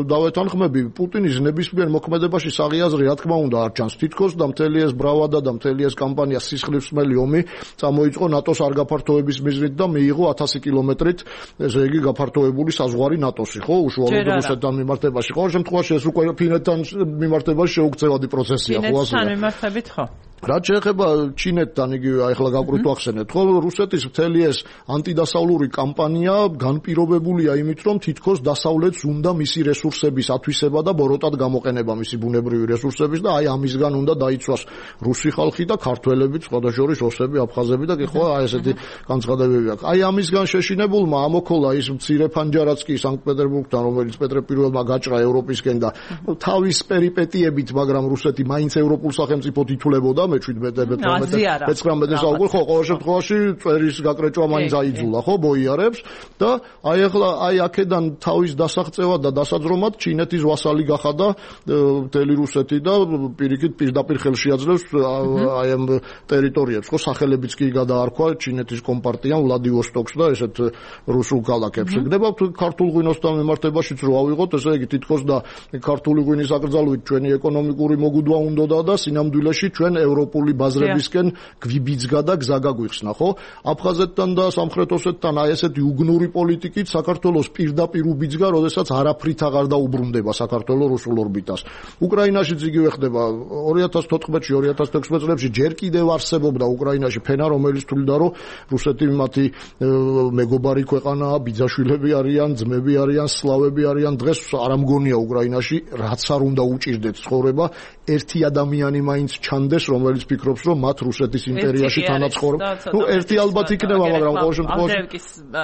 დავეთანხმები, პუტინის ნებისმიერ მოქმედებაში საღაზრი რა თქმა უნდა არ ჩანს თითქოს და მთელი ეს ბრავადა და მთელი ეს კამპანია სისხლისმელი ომი წამოიწყო ნატოს არ გაფართოების მიზნით და მიიღო 1000 კილომეტრით ესე იგი გაფართოებული საზღვარი ნატოსი, ხო, უშუალოდ რუსეთთან მიმართებაში. ყოველ შემთხვევაში ეს უკვე ფინეთთან მიმართებაში შეუქცევადი პროცესია, ხო ასე. ფინეთთან მიმართებით, ხო. რაც შეეხება ჩინეთთან, იგივე ახლა გავკრით ახსენეთ, ხო, რუსეთის მთელი ეს ანტიდასავლური კამპანია განპირობებულია იმით, რომ თითქოს დასავლეთს უნდა მისი რესურსების ათვისება და ბოროტად გამოყენება მისი ბუნებრივი რესურსების და აი ამისგან უნდა დაიცვას რუსი ხალხი და ქართველები, სხვადასხვა შორის ოსები, აფხაზები და კი ხო, აი ესეთი განცხადებები აქვს. აი ამისგან შეშინებულმა ამოქოლა ის მცირე ფანჯარაც კი სანქტ-პეტერბურგთან, რომელიც პეტრე პირველმა გაჭრა ევროპისკენ და თავის პერიპეტიებით, მაგრამ რუსეთი მაინც ევროპულ სახელმწიფოდ ითვლებოდა მე 17-19 საუკუნე ხო ყოველ შემთხვევაში წვერის გაკრეჭვა მაინც აიძულა ხო ბოიარებს და აი ახლა აი აქედან თავის დასაღწევად და დასაძრომად ჩინეთის ვასალი გახადა მთელი რუსეთი და პირიქით პირდაპირ ხელში აძლევს აი ამ ტერიტორიებს ხო სახელებიც კი გადაარქვა ჩინეთის კომპარტიამ ვლადივოსტოკს და ესეთ რუსულ ქალაქებს გდებავთ ქართულ ღვინოსთან მიმართებაშიც რო ავიღოთ ესე იგი თითქოს და ქართული ღვინის აკრძალვით ჩვენი ეკონომიკური მოგუდვა უნდოდა და სინამდვილეში ჩვენ ევროპული ბაზრებისკენ გვიბიძგა და გზა გაგვიხსნა, ხო? აფხაზეთთან და სამხრეთ ოსეთთან აი ესეთი უგნური პოლიტიკით საქართველოს პირდაპირ უბიძგა, როდესაც არაფრით აღარ დაუბრუნდება საქართველოს რუსულ ორბიტას. უკრაინაშიც იგივე ხდება 2014-ში, 2016 წლებში ჯერ კიდევ არსებობდა უკრაინაში ფენა, რომელიც თვლიდა, რომ რუსეთი მათი მეგობარი ქვეყანაა, ბიძაშვილები არიან, ძმები არიან, სლავები არიან. დღეს არ ამგონია უკრაინაში, რაც არ უნდა უჭირდეთ ცხოვრება, ერთი ადამიანი მაინც ჩანდეს, რომელიც ფიქრობს, რომ მათ რუსეთის იმპერიაში თანაცხოვრებ. ნუ ერთი ალბათ იქნება, მაგრამ ყოველ შემთხვევაში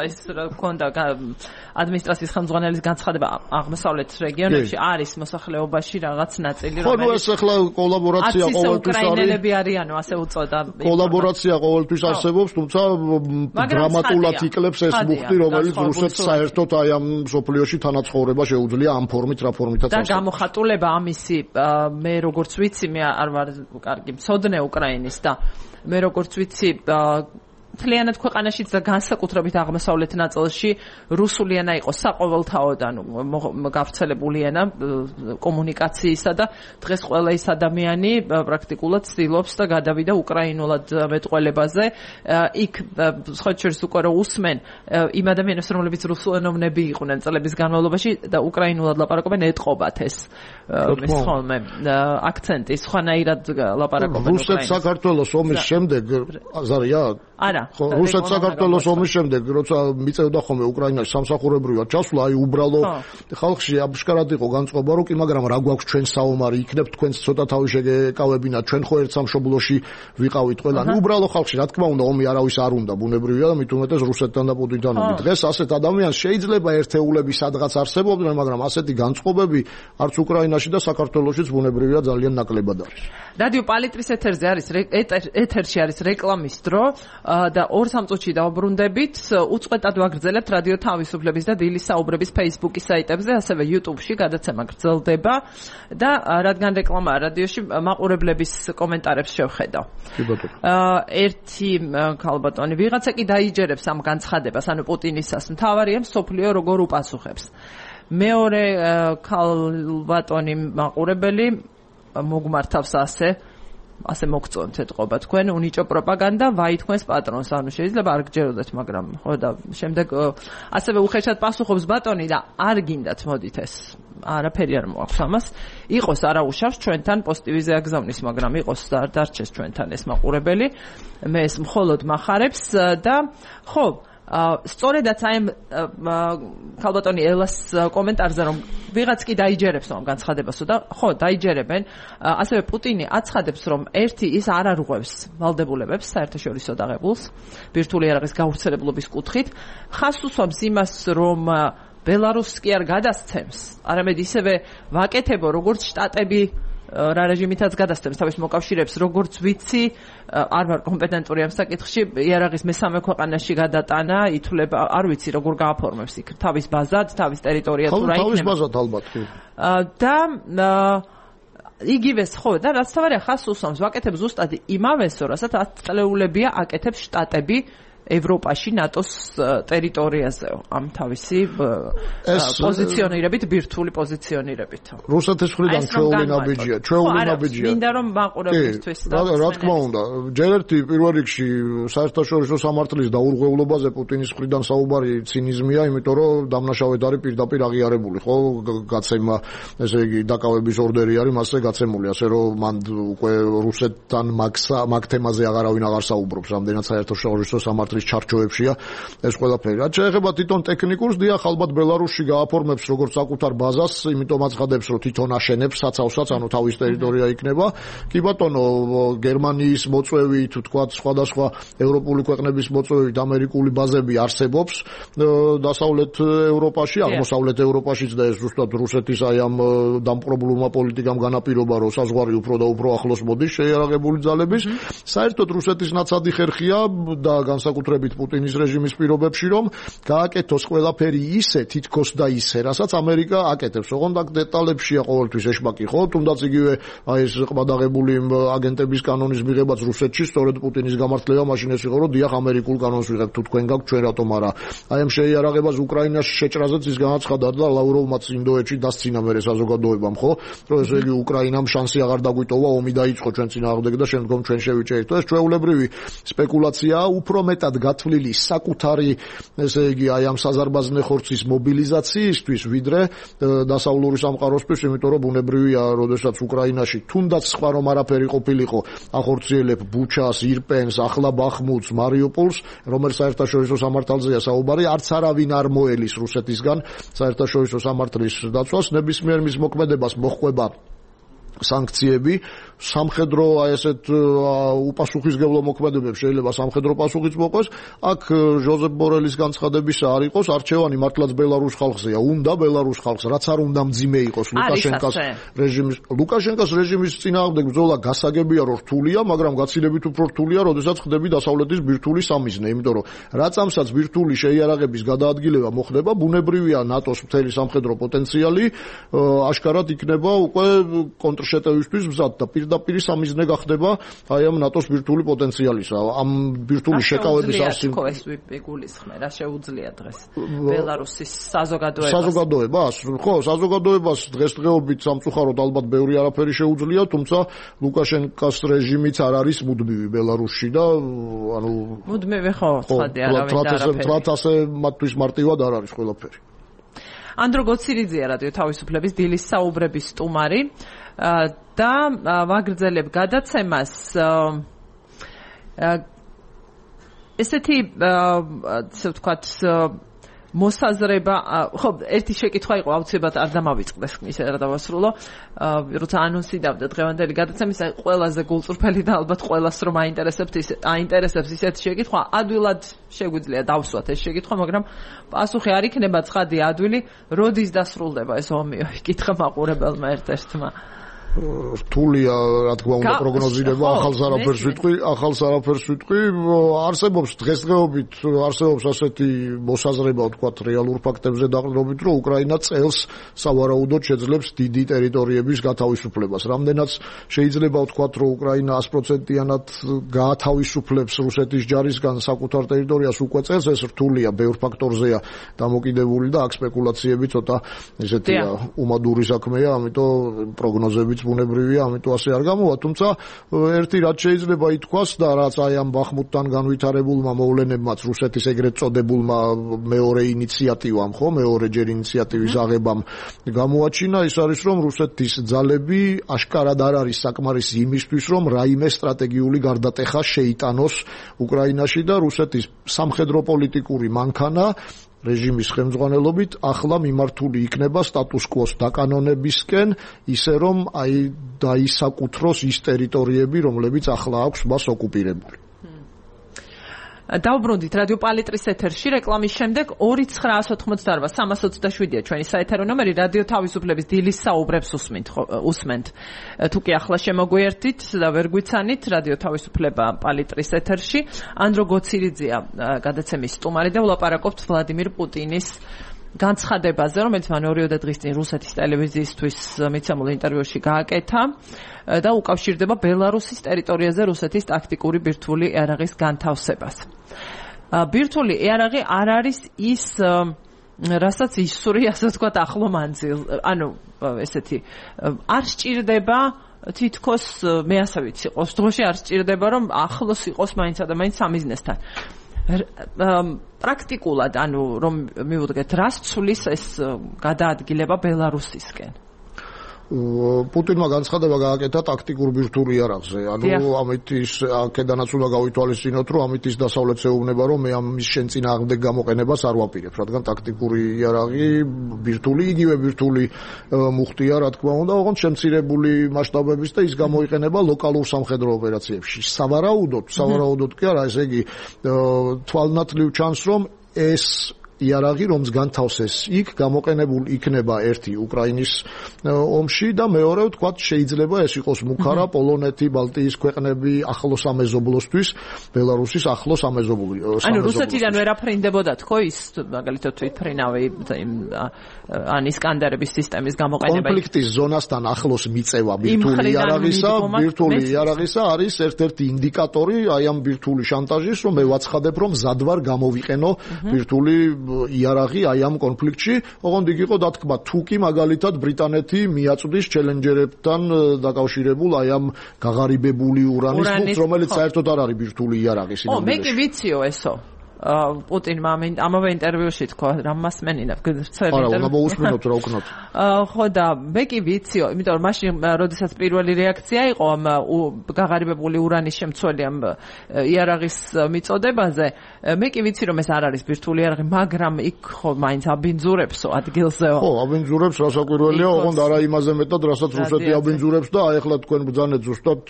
ის ქონდა ადმინისტრაციის ხელმძღვანელის განცხადება აღმოსავლეთ რეგიონებში არის მოსახლეობაში რაღაც ნაწილი, რომელიც ხო, ნუ ეს ახლა კოლაბორაცია ყოველთვის არის. უკრაინელები არიანო, ასე უწოდა. კოლაბორაცია ყოველთვის არსებობს, თუმცა დრამატულად იკლებს ეს მუხტი, რომელიც რუსეთს საერთოდ აი ამ სოფლიოში თანაცხოვრება შეუძლია ამ ფორმით, რა ფორმითაც და გამოხატულება ამისი მე როგორც ვიცი, მე არ ვარ კარგი მცოდნე უკრაინის და მე როგორც ვიცი მთლიანად ქვეყანაშიც და განსაკუთრებით აღმოსავლეთ ნაწილში რუსული ენა იყო საყოველთაო და გავრცელებული ენა კომუნიკაციისა და დღეს ყველა ის ადამიანი პრაქტიკულად ცდილობს და გადავიდა უკრაინულად მეტყველებაზე. იქ სხვა შორის უკვე რომ უსმენ იმ ადამიანებს, რომლებიც რუსულენოვნები იყვნენ წლების განმავლობაში და უკრაინულად ლაპარაკობენ, ეტყობათ ეს მის ხოლმე აქცენტი სხვანაირად ლაპარაკობენ უკრაინას. რუსეთ საქართველოს ომის შემდეგ ზარია? არა. ხო, რუსეთ საქართველოს ომის შემდეგ, როცა მიწევდა ხოლმე უკრაინაში სამსახურებრივად ჩასვლა, აი უბრალო ხალხში აბშკარად იყო განწყობა, რომ კი მაგრამ რა გვაქვს ჩვენ საომარი, იქნებ თქვენს ცოტა თავი შეგეკავებინათ, ჩვენ ხო ერთ სამშობლოში ვიყავით ყველანი. უბრალო ხალხში, რა თქმა უნდა, ომი არავის არ უნდა, ბუნებრივია და მით უმეტეს რუსეთთან და პუტინთან ომი. დღეს ასეთ ადამიანს შეიძლება ერთეულები სადღაც არსებობდნენ, მაგრამ ასეთი განწყობები არც უკრაინაში და საქართველოშიც ბუნებრივია ძალიან ნაკლებად არის. რადიო პალიტრის ეთერში არის რეკლამის დრო და 2 სამწუთში დავბრუნდებით. უწყვეტად ვაგრძელებთ რადიო თავისუფლების და დილის საუბრების Facebook-ის საიტებზე, ასევე YouTube-ში გადაცემა გრძელდება და რადგან რეკლამაა რადიოში, მაყურებლების კომენტარებს შევხედავ. ერთი ქალბატონი, ვიღაცა კი დაიჯერებს ამ განცხადებას, ანუ პუტინისას, მთავარია მსოფლიო როგორ უპასუხებს. მეორე ქალბატონი მაყურებელი მოგმართავს ასე მოგწონთ ეთყობა თქვენ უნიჭო პროპაგანდა ვაი თქვენს პატრონს, ანუ შეიძლება არ გჯეროდეთ, მაგრამ ხო და შემდეგ ასევე უხეშად პასუხობს ბატონი და არ გინდათ მოდით ეს არაფერი არ მოაქვს ამას, იყოს არაუშავს ჩვენთან პოზიტივიზე აგზავნის, მაგრამ იყოს დარჩეს ჩვენთან ეს მაყურებელი, მე ეს მხოლოდ მახარებს და ხო სწორედაც აი ქალბატონი ელას კომენტარზე რომ ვიღაც კი დაიჯერებს ამ განცხადებასო და ხო დაიჯერებენ, ასევე პუტინი აცხადებს რომ ერთი ის არ არღვევს ვალდებულებებს საერთაშორისო დაღებულს ბირთვული იარაღის გავრცელებლობის კუთხით, ხას უსვამს იმას რომ ბელარუსს კი არ გადასცემს, არამედ ისევე ვაკეთებო როგორც შტატები რა რეჟიმითაც გადასცემს თავის მოკავშირეებს, როგორც ვიცი, არ ვარ კომპეტენტური ამ საკითხში, იარაღის მესამე ქვეყანაში გადატანა, ითვლება, არ ვიცი როგორ გააფორმებს იქ თავის ბაზად, თავის ტერიტორია თუ რა იქნება. თავის ბაზად ალბათ. და იგივეს ხო და რაც თავარი ხას უსვამს ვაკეთებ ზუსტად იმავეს რასაც 10 წლეულებია აკეთებს შტატები ევროპაში ნატოს ტერიტორიაზე ამ თავისი პოზიციონირებით ბირთვული პოზიციონირებით რუსეთის მხრიდან ჩვეული ნაბიჯია მინდა რომ მაყურებელთვის რა თქმა უნდა ჯერ ერთი პირველ რიგში საერთაშორისო სამართლის დაურღვევლობაზე პუტინის მხრიდან საუბარი ცინიზმია იმიტომ რომ დამნაშავედ არის პირდაპირ აღიარებული ხო გაცემა ესე იგი დაკავების ორდერი არის მასზე გაცემული ასე რომ მან უკვე რუსეთთან მაგ თემაზე აღარავინ აღარ საუბრობს რამდენად საერთაშორისო სამართლის ჩარჩოებშია ეს ყველაფერი. რაც შეეხება თვითონ ტექნიკურს, დიახ, ალბათ ბელარუსში გააფორმებს როგორც საკუთარ ბაზას, იმიტომ აცხადებს, რომ თვითონ აშენებს საცავსაც, ანუ თავის ტერიტორია იქნება. კი ბატონო, გერმანიის მოწვევით, თქვათ, სხვადასხვა ევროპული ქვეყნების მოწვევით ამერიკული ბაზები არსებობს დასავლეთ ევროპაში, აღმოსავლეთ ევროპაშიც და ეს ზუსტად რუსეთის აი ამ დამპყრობლურმა პოლიტიკამ განაპირობა, რომ საზღვარი უფრო და უფრო ახლოს მოდის შეიარაღებული ძალების. საერთოდ რუსეთის ნაცადი ხერხია და განსაკუთრებით პუტინის რეჟიმის პირობებში, რომ გააკეთოს ყველაფერი ისე თითქოს და ისე, რასაც ამერიკა აკეთებს. ოღონდ აქ დეტალებშია ყოველთვის ეშმაკი, ხო? თუნდაც იგივე აი ეს ყბადაღებული აგენტების კანონის მიღებაც რუსეთში, სწორედ პუტინის გამართლება მაშინ ეს იყო, რომ დიახ ამერიკულ კანონს ვიღებთ, თუ თქვენ გაქვთ, ჩვენ რატომ არა. აი ამ შეიარაღებას უკრაინაში შეჭრაზეც ის განაცხადა და ლავროვმაც ინდოეთში დასცინა მერე საზოგადოებამ, ხო? რომ ესე იგი უკრაინამ შანსი აღარ დაგვიტოვა, ომი დაიწყო ჩვენ წინააღმდეგ და შემდგომ ჩვენ შევიჭერით. ეს ჩვეულებრივი სპეკულაციაა, უფრო მეტად გათვლილი საკუთარი, ესე იგი, აი ამ საზარბაზნე ხორცის მობილიზაციისთვის, ვიდრე დასავლური სამყაროსთვის, იმიტომ რომ ბუნებრივია, როდესაც უკრაინაში თუნდაც სხვა რომ არაფერი ყოფილიყო, ახორციელებ ბუჩას, ირპენს, ახლა ბახმუტს, მარიუპოლს, რომელიც საერთაშორისო სამართალზეა საუბარი, არც არავინ არ მოელის რუსეთისგან საერთაშორისო სამართლის დაცვას, ნებისმიერ მის მოქმედებას მოჰყვება სანქციები, სამხედრო აი ესეთ უპასუხისმგებლო მოქმედებებს შეიძლება სამხედრო პასუხიც მოყვეს. აქ ჟოზეფ ბორელის განცხადებისა არ იყოს არჩევანი მართლაც ბელარუს ხალხზეა, უნდა ბელარუს ხალხს, რაც არ უნდა მძიმე იყოს ლუკაშენკას რეჟიმის წინააღმდეგ ბრძოლა გასაგებია რომ რთულია, მაგრამ გაცილებით უფრო რთულია, როდესაც ხდები დასავლეთის ბირთვული სამიზნე, იმიტომ რომ რაც ამსაც ბირთვული შეიარაღების გადაადგილება მოხდება, ბუნებრივია ნატოს მთელი სამხედრო პოტენციალი აშკარად იქნება უკვე კონტრშეტევისთვის მზად და პირდაპირ სამიზნე გახდება აი ამ ნატოს ბირთვული პოტენციალისა. ამ ბირთვული შეკავების არსი ეს ვიგულისხმე, რა შეუძლია დღეს ბელარუსის საზოგადოებას? ხო, საზოგადოებას დღესდღეობით სამწუხაროდ ალბათ ბევრი არაფერი შეუძლია, თუმცა ლუკაშენკას რეჟიმიც არ არის მუდმივი ბელარუსში და ანუ მუდმივი ხო, ცხადია, არავინ არაფერი. თვათ ასე მათთვის მარტივად არ არის ყველაფერი. ანდრო გოცირიძეა რადიო თავისუფლების დილის საუბრების სტუმარი და ვაგრძელებ გადაცემას ესეთი ასე ვთქვათ მოსაზრება ხო ერთი შეკითხვა იყო აუცილებლად არ დამავიწყდეს ისე რა დავასრულო როცა ანონსი დავდა დღევანდელი გადაცემის ყველაზე გულწრფელი და ალბათ ყველას რომ აინტერესებს ისეთი შეკითხვა ადვილად შეგვიძლია დავსვათ ეს შეკითხვა მაგრამ პასუხი არ იქნება ცხადი ადვილი როდის დასრულდება ეს ომი იკითხა მაყურებელმა ერთ-ერთმა რთულია რა თქმა უნდა პროგნოზირება ახალს არაფერს ვიტყვი არსებობს დღესდღეობით არსებობს ასეთი მოსაზრება ვთქვათ რეალურ ფაქტებზე დაყრდნობით რომ უკრაინა წელს სავარაუდოდ შეძლებს დიდი ტერიტორიების გათავისუფლებას რამდენიც შეიძლება ვთქვათ რომ უკრაინა 100%-იანად გაათავისუფლებს რუსეთის ჯარისგან საკუთარ ტერიტორიას უკვე წელს ეს რთულია ბევრ ფაქტორზეა დამოკიდებული და აქ სპეკულაციები ცოტა ესეთია უმადური საქმეა ამიტომ პროგნოზები ბუნებრივია, ამიტომ ასე არ გამოვა, თუმცა ერთი რაც შეიძლება ითქვას და რაც აი ამ ბახმუტთან განვითარებულმა მოვლენებმაც რუსეთის ეგრეთ წოდებულმა მეორე ინიციატივამ, ხო, მეორეჯერ ინიციატივის აღებამ გამოაჩინა, ის არის რომ რუსეთის ძალები აშკარად არ არის საკმარისი იმისთვის, რომ რაიმე სტრატეგიული გარდატეხა შეიტანოს უკრაინაში და რუსეთის სამხედრო პოლიტიკური მანქანა რეჟიმის ხელმძღვანელობით ახლა მიმართული იქნება სტატუს კვოს დაკანონებისკენ, ისე რომ აი დაისაკუთროს ის ტერიტორიები, რომლებიც ახლა აქვს მას ოკუპირებული. დავბრუნდით რადიო პალიტრის ეთერში რეკლამის შემდეგ 2988327-ია ჩვენი საეთერო ნომერი რადიო თავისუფლების დილის საუბრებს უსმენთ თუ კი ახლა შემოგვიერთით და ვერ გვიცანით რადიო თავისუფლება პალიტრის ეთერში ანდრო გოცირიძეა გადაცემის სტუმარი და ვლაპარაკობთ ვლადიმირ პუტინის განცხადებაზე, რომელიც მან 2 დღის წინ რუსეთის ტელევიზიისთვის მიცემულ ინტერვიუში გააკეთა და უკავშირდება ბელარუსის ტერიტორიაზე რუსეთის ტაქტიკური ბირთვული იარაღის განთავსებას. ბირთვული იარაღი არ არის ის რასაც ისური, ასე ვთქვათ, ახლო მანძილ, ანუ ესეთი არ სჭირდება თითქოს მე ასე ვიცი, ყოს დროში არ სჭირდება რომ ახლოს იყოს მაინცა და მაინც სამიზნესთან. პრაქტიკულად, ანუ რომ მივუდგეთ, რას ცulis ეს გადაადგილება ბელარუსისკენ? პუტინმა განცხადება გააკეთა ტაქტიკურ ბირთვული იარაღზე. ანუ ამით ის აქედანაც უნდა გავითვალისწინოთ, რომ ამით ის დასავლეთს ეუბნება, რომ მე ამის შენ წინააღმდეგ გამოყენებას არ ვაპირებ, რადგან ტაქტიკური იარაღი ბირთვული, იგივე ბირთვული მუხტია, რა თქმა უნდა, ოღონდ შემცირებული მასშტაბების და ის გამოიყენება ლოკალურ სამხედრო ოპერაციებში. სავარაუდოდ კი არა, ესე იგი თვალნათლივ ჩანს, რომ ეს იარაღი რომს განთავსეს იქ გამოყენებულ იქნება ერთი უკრაინის ომში და მეორე ვთქვათ შეიძლება ეს იყოს მუქარა პოლონეთი, ბალტიის ქვეყნები ახლო სამეზობლოსთვის, ბელარუსის ახლო სამეზობლოს. ანუ რუსეთიდან ვერ აფრინდებოდა თქო ის მაგალითად თვითფრინავი ან ისკანდერების სისტემის გამოყენება. კონფლიქტის ზონასთან ახლოს მიწევა ბირთვული იარაღისა არის ერთ-ერთი ინდიკატორი აი ამ ბირთვული შანტაჟის, რომ მე ვაცხადებ, რომ მზად ვარ გამოვიყენო ბირთვული იარაღი აი ამ კონფლიქტში, ოღონდ იქ იყო დათქმა, თუ კი მაგალითად ბრიტანეთი მიაწვდის ჩელენჯერებთან დაკავშირებულ აი ამ გაღარიბებული ურანის მუხტს, რომელიც საერთოდ არ არის ბირთვული იარაღი სინამდვილეში. მე კი ვიციო ესო. პუტინმა ამავე ინტერვიუში თქვა, რა მასმენინა, წერილი. არა, უნდა მოусმინოთ რა უკნოთ. ხო და მე კი ვიციო, იმიტომ რომ მაშინ როდესაც პირველი რეაქცია იყო ამ გაღარიბებული ურანის შემცველი ამ იარაღის მიწოდებაზე, მე კი ვიცი რომ ეს არ არის ბირთვული იარაღი, მაგრამ იქ ხო მაინც აბინძურებსო ადგილზეო. ხო, აბინძურებს რასაკვირველია, ოღონდ არა იმაზე მეტად, რასაც რუსეთი აბინძურებს და აი ახლა თქვენ ბრძანეთ ზუსტად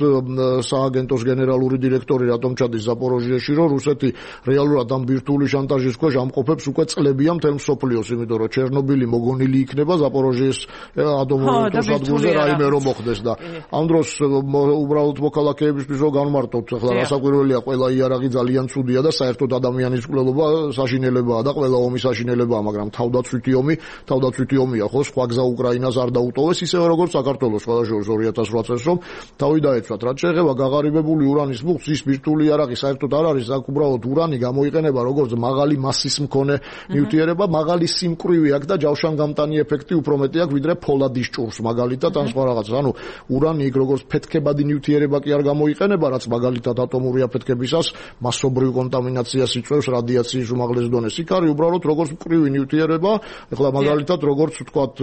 სააგენტოს გენერალური დირექტორი რატომ ჩადის ზაპოროჟიაში, რომ რუსეთი რეალურად ბირთვული შანტაჟის ქვეშ ამყოფებს უკვე წლებია მთელ მსოფლიოს, იმიტომ რომ ჩერნობილი მოგონილი იქნება ზაპოროჟიეს ატომურ ელექტროსადგურზე რაიმე რომ მოხდეს და ამ დროს უბრალოდ მოქალაქეებისთვის რომ განმარტოთ, ახლა რასაკვირველია, ყველა იარაღი ძალიან ცუდია და საერთოდ ადამიანის მკვლელობა საშინელებაა და ყველა ომი საშინელებაა, მაგრამ თავდაცვითი ომია, ხო, სხვა გზა უკრაინას არ დაუტოვეს, ისევე როგორც საქართველოს ყველა შორის 2008 წელს რომ თავი დაეცვათ. რაც შეეხება გაღარიბებული ურანის მუხტს, ის ბირთვული იარაღი საერთოდ არ არის, აქ უბრალოდ ურანი გამოიყენება როგორც მაღალი მასის მქონე ნივთიერება, მაღალი სიმკვრივი აქვს და ჯავშანგამტანი ეფექტი უფრო მეტი აქვს ვიდრე ფოლადის ჭურს მაგალითად ან სხვა რაღაცა. ანუ ურანი იქ როგორც ფეთქებადი ნივთიერება კი არ გამოიყენება, რაც მაგალითად ატომური აფეთქებისას მასობრივ კონტამინაციას იწვევს რადიაციის უმაღლეს დონეს. იქ არის უბრალოდ როგორც მკვრივი ნივთიერება, ეხლა მაგალითად როგორც ვთქვათ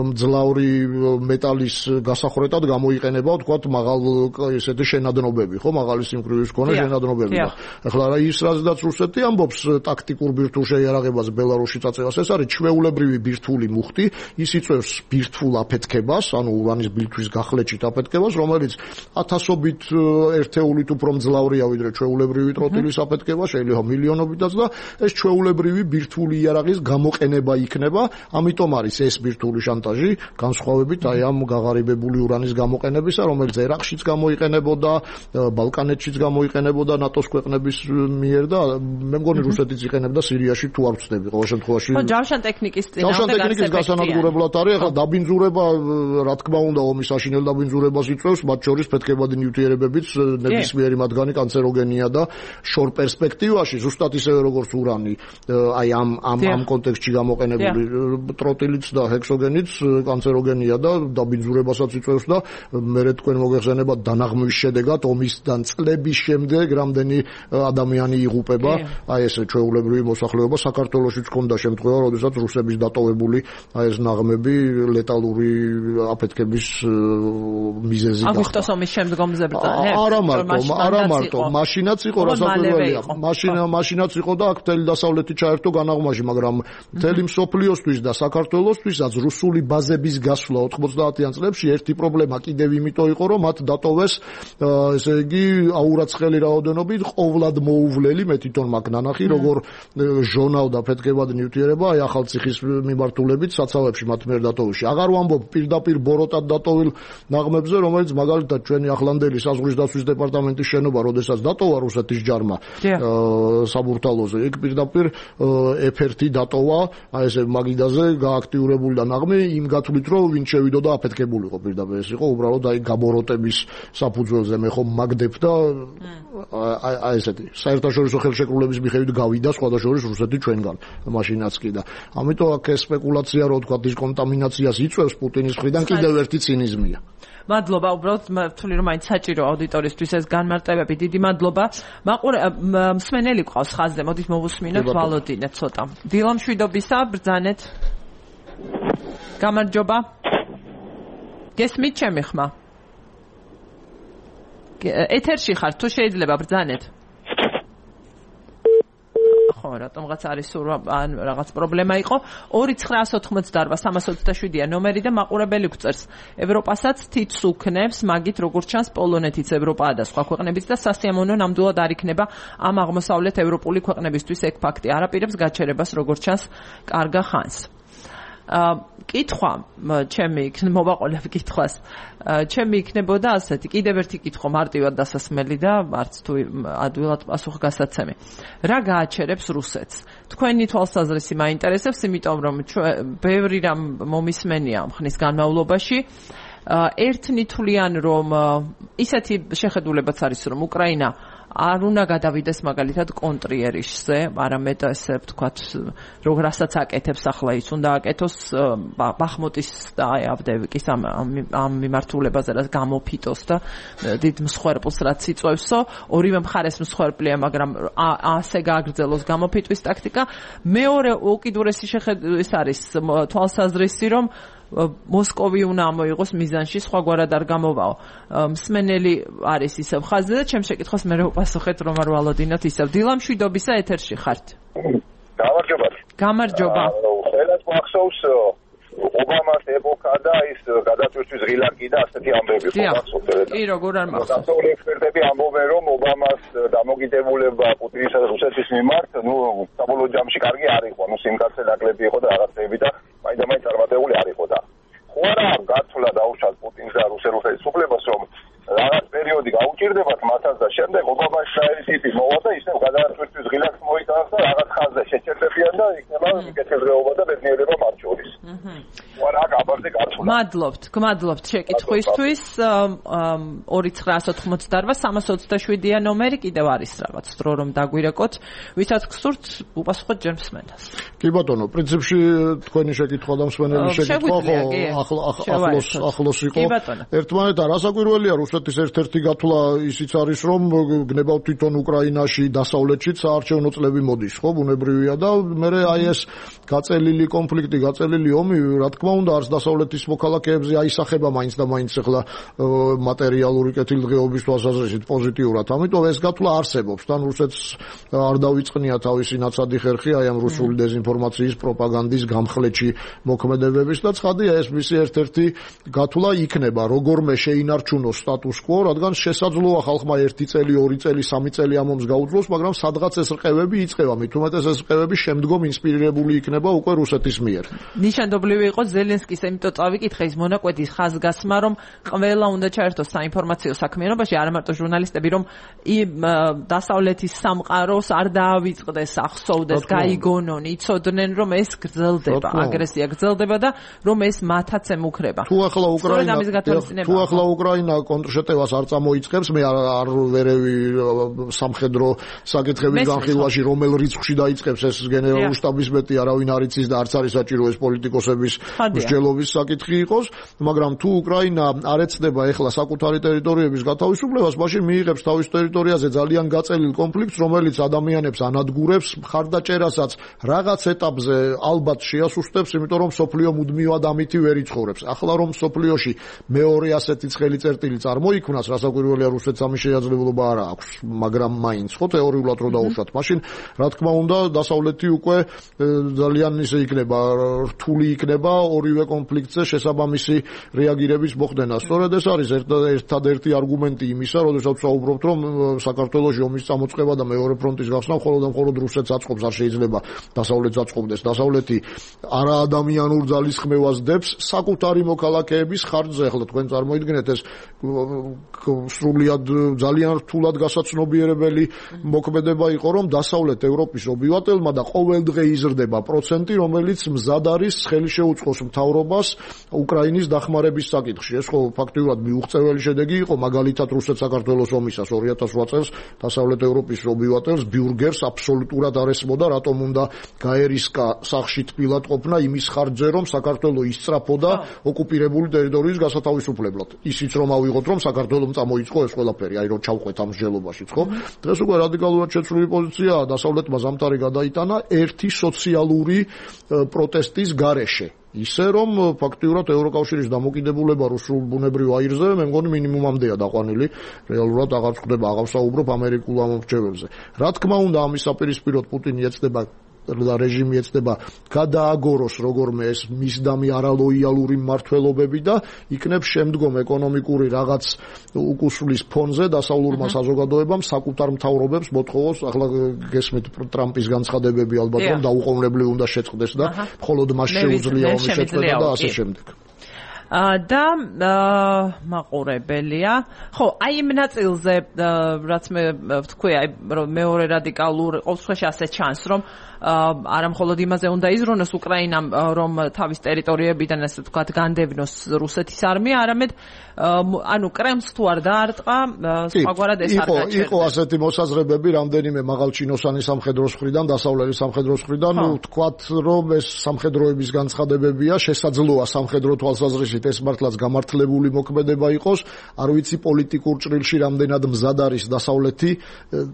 მძლავრი მეტალის გასახრეტად გამოიყენება ვთქვათ მაღალ ესეთი შენადნობები, ხო, მაღალი სიმკვრივის მქონე შენადნობები. ეხლა რა ის რაზედაც რუსეთი ამბობს ტაქტიკურ ბირთვულ შეიარაღებას ბელარუსში წაწევას, ეს არის ჩვეულებრივი ბირთვული მუხტი, ის იწვევს ბირთვულ აფეთქებას, ანუ ურანის ბირთვის გახლეჩით აფეთქებას, რომელიც ათასობით ერთეულით უფრო მძლავრია ვიდრე ჩვეულებრივი ტროტილის აფეთქება, შეიძლება მილიონობითაც და ეს ჩვეულებრივი ბირთვული იარაღის გამოყენება იქნება, ამიტომ არის ეს ბირთვული შანტაჟი, განსხვავებით აი ამ გაღარიბებული ურანის გამოყენებისა, რომელიც ერაყშიც გამოიყენებოდა, ბალკანეთშიც გამოიყენებოდა ნატოს ქვეყნების მიერ და მე მგონი რუსეთიც იყენებდა სირიაში თუ არ ვწდები ყოველ შემთხვევაში. ხო, ჯავშან ტექნიკის გასანადგურებლად არის, ახლა დაბინძურება რა თქმა უნდა ომის საშინელ დაბინძურებას იწვევს, მათ შორის ფეთქებადი ნივთიერებებიც ნებისმიერი მათგანი კანცეროგენია და შორ პერსპექტივაში ზუსტად ისევე როგორც ურანი, აი ამ კონტექსტში გამოყენებული ტროტილიც და ჰექსოგენიც კანცეროგენია და დაბინძურებასაც იწვევს და მერე თქვენ მოგეხსენებათ დანაღმვის შედეგად ომისთან წლების შემდეგ რამდენი ადამიანი იღუპება, აი ეს ჩვეულებრივი მოსახლეობა. საქართველოშიც ჰქონდა შემთხვევა, როდესაც რუსების დატოვებული აი ეს ნაღმები ლეტალური აფეთქების მიზეზი გახდა. აგვისტოს ომის შემდგომზე ბრძანებს. არა მარტო, მაშინაც იყო რასაკვირველია. მაშინაც იყო და აქ მთელი დასავლეთი ჩაერთო განაღმაში, მაგრამ მთელი მსოფლიოსთვის და საქართველოსთვისაც რუსული ბაზების გასვლა 90-იან წლებში ერთი პრობლემა კიდევ იმიტომ იყო, რომ მათ დატოვეს ესე იგი აურაცხელი რაოდენობით ყოვლად მოუვლელი, მე თვითონ მაქვს ნანახი, როგორ ჟონავდა ფეთქებად ნივთიერება აი ახალციხის მიმართულებით საცავებში მათ მიერ დატოვში. აღარ ვამბობ პირდაპირ ბოროტად დატოვილ ნაღმებზე, რომელიც მაგალითად ჩვენი ახლანდელი საზღვრის დაცვის დეპარტამენტის შენობა, როდესაც დატოვა რუსეთის ჯარმა საბურთალოზე, იქ პირდაპირ F1 დატოვა, აი ესე მაგიდაზე გააქტიურებული და ნაღმი იმ გათვლით, რომ ვინ შევიდოდა აფეთქებულიყო პირდაპირ, ეს იყო უბრალოდ აი გაბოროტების საფუძველზე მე ხომ მაგდებ და აი ესეთი საერთაშორისო ხელშეკრულების მიხედვით გავიდა სხვადასხვა რუსეთი ჩვენგან მაშინაც კი და ამიტომ აქ ეს სპეკულაცია რო თქვა ის კონტამინაციას იწვევს პუტინის მხრიდან კიდევ ერთი ცინიზმია. მადლობა, უბრალოდ ვთვლი რომ მაინც საჭირო აუდიტორისთვის ეს განმარტებები. დიდი მადლობა. მსმენელი ყავს ხაზზე, მოდით მოვუსმინოთ ვალოდინე ცოტა. დილამშვიდობისა, ბრძანეთ. გამარჯობა. გესმით ჩემი ხმა? ეთერში ხარ, თუ შეიძლება ბრძანეთ. ხო, რატომღაც არის ან რაღაც პრობლემა იყო. 2988-327-ია ნომერი და მაყურებელი გვწერს. ევროპასაც თითს უქნებს, მაგით როგორც ჩანს პოლონეთიც ევროპაა და სხვა ქვეყნებიც და სასიამოვნო ნამდვილად არ იქნება ამ აღმოსავლეთ ევროპული ქვეყნებისთვის ეგ ფაქტი. არაპირებს გაჩერებას როგორც ჩანს კარგა ხანს. კითხვა ჩემი მოვაყოლებ კითხვას. ჩემი იქნებოდა ასეთი, კიდევ ერთი კითხვა მარტივად დასასმელი და არც თუ ადვილად პასუხგასაცემი. რა გააჩერებს რუსეთს? თქვენი თვალსაზრისი მაინტერესებს, იმიტომ რომ ბევრი რამ მომისმენია ხნის განმავლობაში. ერთნითლიან რომ ისეთი შეხედულებაც არის რომ უკრაინა არ უნდა გადავიდეს მაგალითად კონტრიერიშზე, არამედ ესე ვთქვათ, რასაც აკეთებს ახლა ის უნდა აკეთოს ბახმუტის და ავდევიკის ამ მიმართულებაზე რაც გამოფიტოს და დიდ მსხვერპლს რაც იწვევსო, ორივე მხარეს მსხვერპლია, მაგრამ ასე გააგრძელოს გამოფიტვის ტაქტიკა. მეორე უკიდურესი შეხედვით არის თვალსაზრისი, რომ მოსკოვი უნდა ამოიღოს მიზანში, სხვაგვარად არ გამოვაო. მსმენელი არის ისევ ხაზზე და ჩემ შეკითხვას მე ვაპასუხეთ, რომ არ ვალოდინოთ ისევ. დილამშვიდობისა, ეთერში ხართ. გამარჯობა. გამარჯობა. ყველას მახსოვს ობამას ეპოქა და ის გადაწვისთვის ღილაკი და ასეთი ამბები ხო მახსოვს? კი, როგორ არ მახსოვს. დასავლური ექსპერტები ამბობენ, რომ ობამას დამოკიდებულება პუტინისა და რუსეთის მიმართ, საბოლოო ჯამში კარგი არ იყო, სიმკაცე ნაკლები იყო და რაღაცები და მაინც წარმატებული არ იყო და ხო არა გაცვლა დაუშვათ პუტინს და რუსეთის რესპუბლიკას, რომ რაღაც პერიოდი გაუჭირდებათ მათაც და შემდეგ ობამას საერთითი მოვა და ისევ გადაწვისთვის ღილაკს მოიტანს და რაღაც ხაზზე შეჭერდებიან და იქნება კეთილდღეობა და ბედნიერება მათ შორის. ვარა გაბარდე გაცვლა. გმადლობთ შეკითხვისთვის. 2988-327-ია ნომერი, კიდევ არის რაღაც დრო რომ დაგვირეკოთ. ვისაც გსურთ, უპასუხოთ ჯერ მსმენელს. კი ბატონო, პრინციპში თქვენი შეკითხვა და მსმენელის შეკითხვა ახლოს იყო. ერთმანეთთან რასაკვირველია, რუსეთის ერთ-ერთი გათვლა ისიც არის, რომ გნებავ თვითონ უკრაინაში, დასავლეთშიც საარჩევნო წლები მოდის, ხო, ბუნებრივია და მე აი ეს გაწელილი კონფლიქტი, გაწელილი ომი, რა თქმა უნდა, არც დასავლეთის მოქალაქეებზე აისახება მაინც და მაინც ახლა მატერიალური კეთილდღეობის თვალსაზრისით პოზიტიურად. ამიტომ ეს გათვლა არსებობს. თან რუსეთს არ დავიწყნია თავისი ნაცადი ხერხი აი ამ რუსული დეзинფორმაციის პროპაგანდის გამხლეთში მოქმედებების და ცხადია ეს მისი ერთ-ერთი გათვლა იქნება, როგორმე შეინარჩუნოს სტატუს quo, რადგან შესაძლოა ხალხმა 1 წელი, 2 წელი, 3 წელი ამ ომს გაუძლოს, მაგრამ სადღაც ეს რყევები იწყება, მით უმეტეს ეს რყევები შემდგომ ინსპირირებული იქნება უკვე რუსეთის მიერ. ნიშანდობლივი იყო ზელენსკის, იმიტომ წავიკითხე ის მონაკვეთის ხაზგასმა, რომ ყველა უნდა ჩაერთოს საინფორმაციო საქმიანობაში, არა მარტო ჟურნალისტები, რომ დასავლეთის სამყაროს არ დაავიწყდეს, ახსოვდეს, გაიგონონ, იცოდნენ, რომ ეს გრძელდება, აგრესია გრძელდება და რომ ეს მათაც ემუქრება. თუ ახლა უკრაინა კონტრშეტევას არ წამოიწყებს, მე არ ვერევი სამხედრო საკითხების განხილვაში რომელ რიცხვში დაიწყებს ეს გენერალური შტაბის მეტი არავინ არ იცის და არც არის საჭირო ეს პოლიტიკოსების მსჯელობის საკითხი იყოს, მაგრამ თუ უკრაინა არ ეცდება ეხლა საკუთარი ტერიტორიების გათავისუფლებას, მაშინ მიიღებს თავის ტერიტორიაზე ძალიან გაწელილ კონფლიქტს, რომელიც ადამიანებს ანადგურებს, მხარდაჭერასაც რაღაც ეტაპზე ალბათ შეასუსტებს, იმიტომ რომ სოფლიო მუდმივად ამითი ვერ იცხოვრებს. ახლა რომ სოფლიოში მეორე ასეთი ცხელი წერტილი წარმოიქმნას, რასაკვირველია რუსეთს ამის შესაძლებლობა არ აქვს, მაგრამ მაინც ხო თეორიულად რო დაუშვათ, მაშინ რა თქმა უნდა დასავლეთი უკვე ძალიან ისე იქნება, რთული იქნება ორივე კონფლიქტზე შესაბამისი რეაგირების მოხდენა. სწორედ ეს არის ერთადერთი არგუმენტი იმისა, როდესაც ვსაუბრობთ, რომ საქართველოში ომის წამოწყება და მეორე ფრონტის გახსნა მხოლოდ და მხოლოდ რუსეთს აწყობს, არ შეიძლება დასავლეთს აწყობდეს. დასავლეთი არაადამიანურ ძალისხმევას დებს საკუთარი მოქალაქეების ხარჯზე. ახლა თქვენ წარმოიდგინეთ ეს სრულიად ძალიან რთულად გასაცნობიერებელი მოქმედება იყო, რომ დასავლეთ ევროპის ობივატელმა და ყოველდღე იზრდება პროცენტი, რომელიც მზად არის ხელი შეუწყოს მთავრობას უკრაინის დახმარების საკითხში. ეს ხო ფაქტიურად მიუღწეველი შედეგი იყო, მაგალითად რუსეთ-საქართველოს ომისას 2008 წელს დასავლეთ ევროპის ობივატელს ბიურგერს აბსოლუტურად არ ესმოდა, რატომ უნდა გაერისკა სახში თბილად ყოფნა იმის ხარჯზე, რომ საქართველო ისწრაფოდა ოკუპირებული ტერიტორიის გასათავისუფლებლად. ისიც რომ ავიღოთ, რომ საქართველომ წამოიწყო ეს ყველაფერი, აი რომ ჩავყვეთ ამ მსჯელობაშიც, ხო? დღეს უკვე რადიკალურად შეცვლილი პოზიციაა, დასავლეთმა ზამთარი გადაიტანა ერთი სოციალური პროტესტის გარეშე. ისე რომ ფაქტიურად ევროკავშირის დამოკიდებულება რუსულ ბუნებრივ აირზე მე მგონი მინიმუმამდეა დაყვანილი, რეალურად აღარ ხდება, აღარ ვსაუბრობ ამერიკულ ამომრჩევებზე. რა თქმა უნდა, ამის საპირისპიროდ პუტინი ეცდება და რეჟიმი ეცდება გადააგოროს როგორმე ეს მისდამი არალოიალური მმართველობები და იქნებ შემდგომ ეკონომიკური რაღაც უკუსვლის ფონზე დასავლურმა საზოგადოებამ საკუთარ მთავრობებს მოთხოვოს. ახლა გესმით ტრამპის განცხადებები ალბათ რომ დაუყოვნებლივ უნდა შეწყდეს და მხოლოდ მას შეუძლია ომის შეწყვეტა და ასე შემდეგ. და მაყურებელია. ხო, აი იმ ნაწილზე რაც მე ვთქვი, აი მეორე რადიკალურ ყოველთვის ასე ჩანს, რომ არა მხოლოდ იმაზე უნდა იზრუნოს უკრაინამ, რომ თავის ტერიტორიებიდან ასე ვთქვათ განდევნოს რუსეთის არმია, არამედ ანუ კრემლს თუ არ დაარტყა, სხვაგვარად ეს არ გაჩერდა. იყო ასეთი მოსაზრებები რამდენიმე მაღალჩინოსანი სამხედროს მხრიდან, დასავლელი სამხედროს მხრიდან, ვთქვათ, რომ ეს სამხედროების განცხადებებია, შესაძლოა სამხედრო თვალსაზრისით ეს მართლაც გამართლებული მოქმედება იყოს, არ ვიცი პოლიტიკურ ჭრილში რამდენად მზად არის დასავლეთი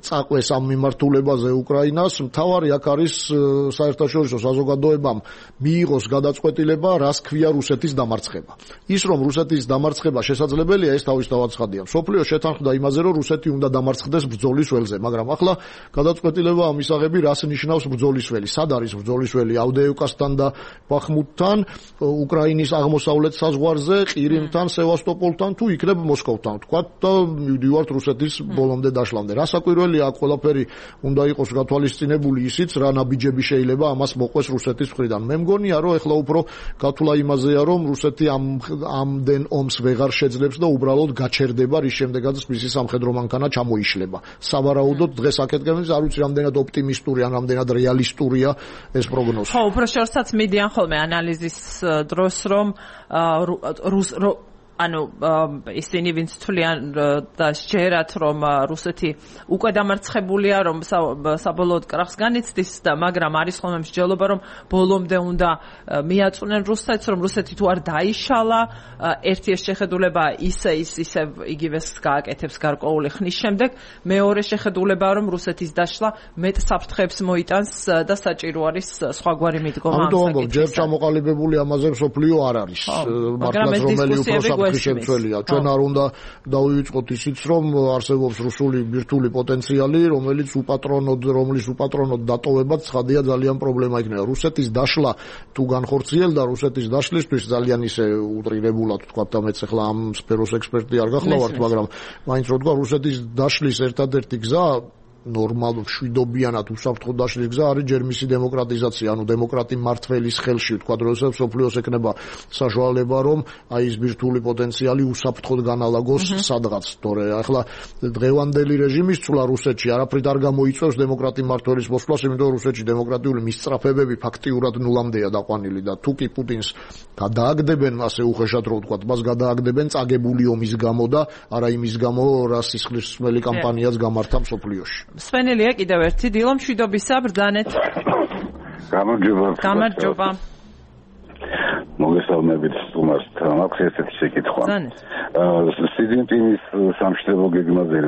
წაყვეს ამ მიმართულებაზე უკრაინას. მთავარი აქ არის საერთაშორისო საზოგადოებამ მიიღოს გადაწყვეტილება, რას ქვია რუსეთის დამარცხება. ის რომ რუსეთის დამარცხება შესაძლებელია, ეს თავისთავად ცხადია. მსოფლიო შეთანხმდა იმაზე, რომ რუსეთი უნდა დამარცხდეს ბრძოლის ველზე, მაგრამ ახლა გადაწყვეტილება ამისაღები რას ნიშნავს ბრძოლის ველი? სად არის ბრძოლის ველი? ავდეევკასთან და ბახმუტთან, უკრაინის აღმოსავლეთ საზღვარზე, ყირიმთან, სევასტოპოლთან თუ იქნებ მოსკოვთან, თქვათ და მივდივართ რუსეთის ბოლომდე დაშლამდე. რასაკვირველია, აქ ყველაფერი უნდა იყოს გათვალისწინებული ისიც, რა ნაბიჯები შეიძლება ამას მოყვეს რუსეთის მხრიდან. მე მგონია, რომ ეხლა უფრო გათვლა იმაზეა, რომ რუსეთი ამდენ ომს ვეღარ შეძლებს და უბრალოდ გაჩერდება, რის შემდეგაც მისი სამხედრო მანქანა ჩამოიშლება. სავარაუდოდ დღეს აქეთკენ არ ვიცი რამდენად ოპტიმისტური ან რამდენად რეალისტურია ეს პროგნოზი. ხო, უფრო შორსაც მიდიან ხოლმე ანალიზის დროს, რომ ანუ ისინი ვინც თვლიან და შეერათ, რომ რუსეთი უკვე დამარცხებულია, რომ საბოლოოდ კრახს განიცდის და მაგრამ არის ხოლმე მსჯელობა, რომ ბოლომდე უნდა მიაწვნენ რუსეთს, რომ რუსეთი თუ არ დაიშალა, ერთი ეს შეხედულება ისე იგივეს გააკეთებს გარკვეული ხნის შემდეგ, მეორე შეხედულება, რომ რუსეთის დაშლა მეტ საფრთხეებს მოიტანს და საჭირო არის სხვაგვარი მიდგომა ამ საკითხის. ჯერ ჩამოყალიბებული ამაზე მსოფლიო არ არის. მართლაც რომელი უფრო შემცველია. ჩვენ არ უნდა დავივიწყოთ ისიც, რომ არსებობს რუსული ბირთვული პოტენციალი, რომლის უპატრონოდ დატოვებაც ცხადია ძალიან პრობლემა იქნება. რუსეთის დაშლა თუ განხორციელდა, რუსეთის დაშლისთვის ძალიან ისე უტრირებულად თქვა და მეც ახლა ამ სფეროს ექსპერტი არ გახლავართ, მაგრამ მაინც რო თქვა რუსეთის დაშლის ერთადერთი გზა ნორმალურ შვიდობიანად უსაფრთხო დაშლის გზა არის ჯერ მისი დემოკრატიზაცია, ანუ დემოკრატი მმართველის ხელში, თქვა როდესაც სოფლიოს ეკნება საშუალება, რომ აი ეს ბირთვული პოტენციალი უსაფრთხოდ განალაგოს სადღაც. თორე ახლა დღევანდელი რეჟიმის ცვლა რუსეთში არაფრით არ გამოიწვევს დემოკრატი მმართველის მოსვლას, იმიტომ რომ რუსეთში დემოკრატიული მისწრაფებები ფაქტიურად ნულამდეა დაყვანილი და თუ კი პუტინს გადააგდებენ, ასე უხეშად რო ვთქვათ, მას გადააგდებენ წაგებული ომის გამო და არა იმის გამო, რა სისხლისმელი კამპანიაც გამართა მსოფლიოში. სვენელია კიდევ ერთი დილო მშვიდობისა ბრძანეთ. გამარჯობა. მოგესალმებით სტუმარს. მაქვს ესეთი შეკითხვა. სიძინპინის სამშვიდობო გეგმაზე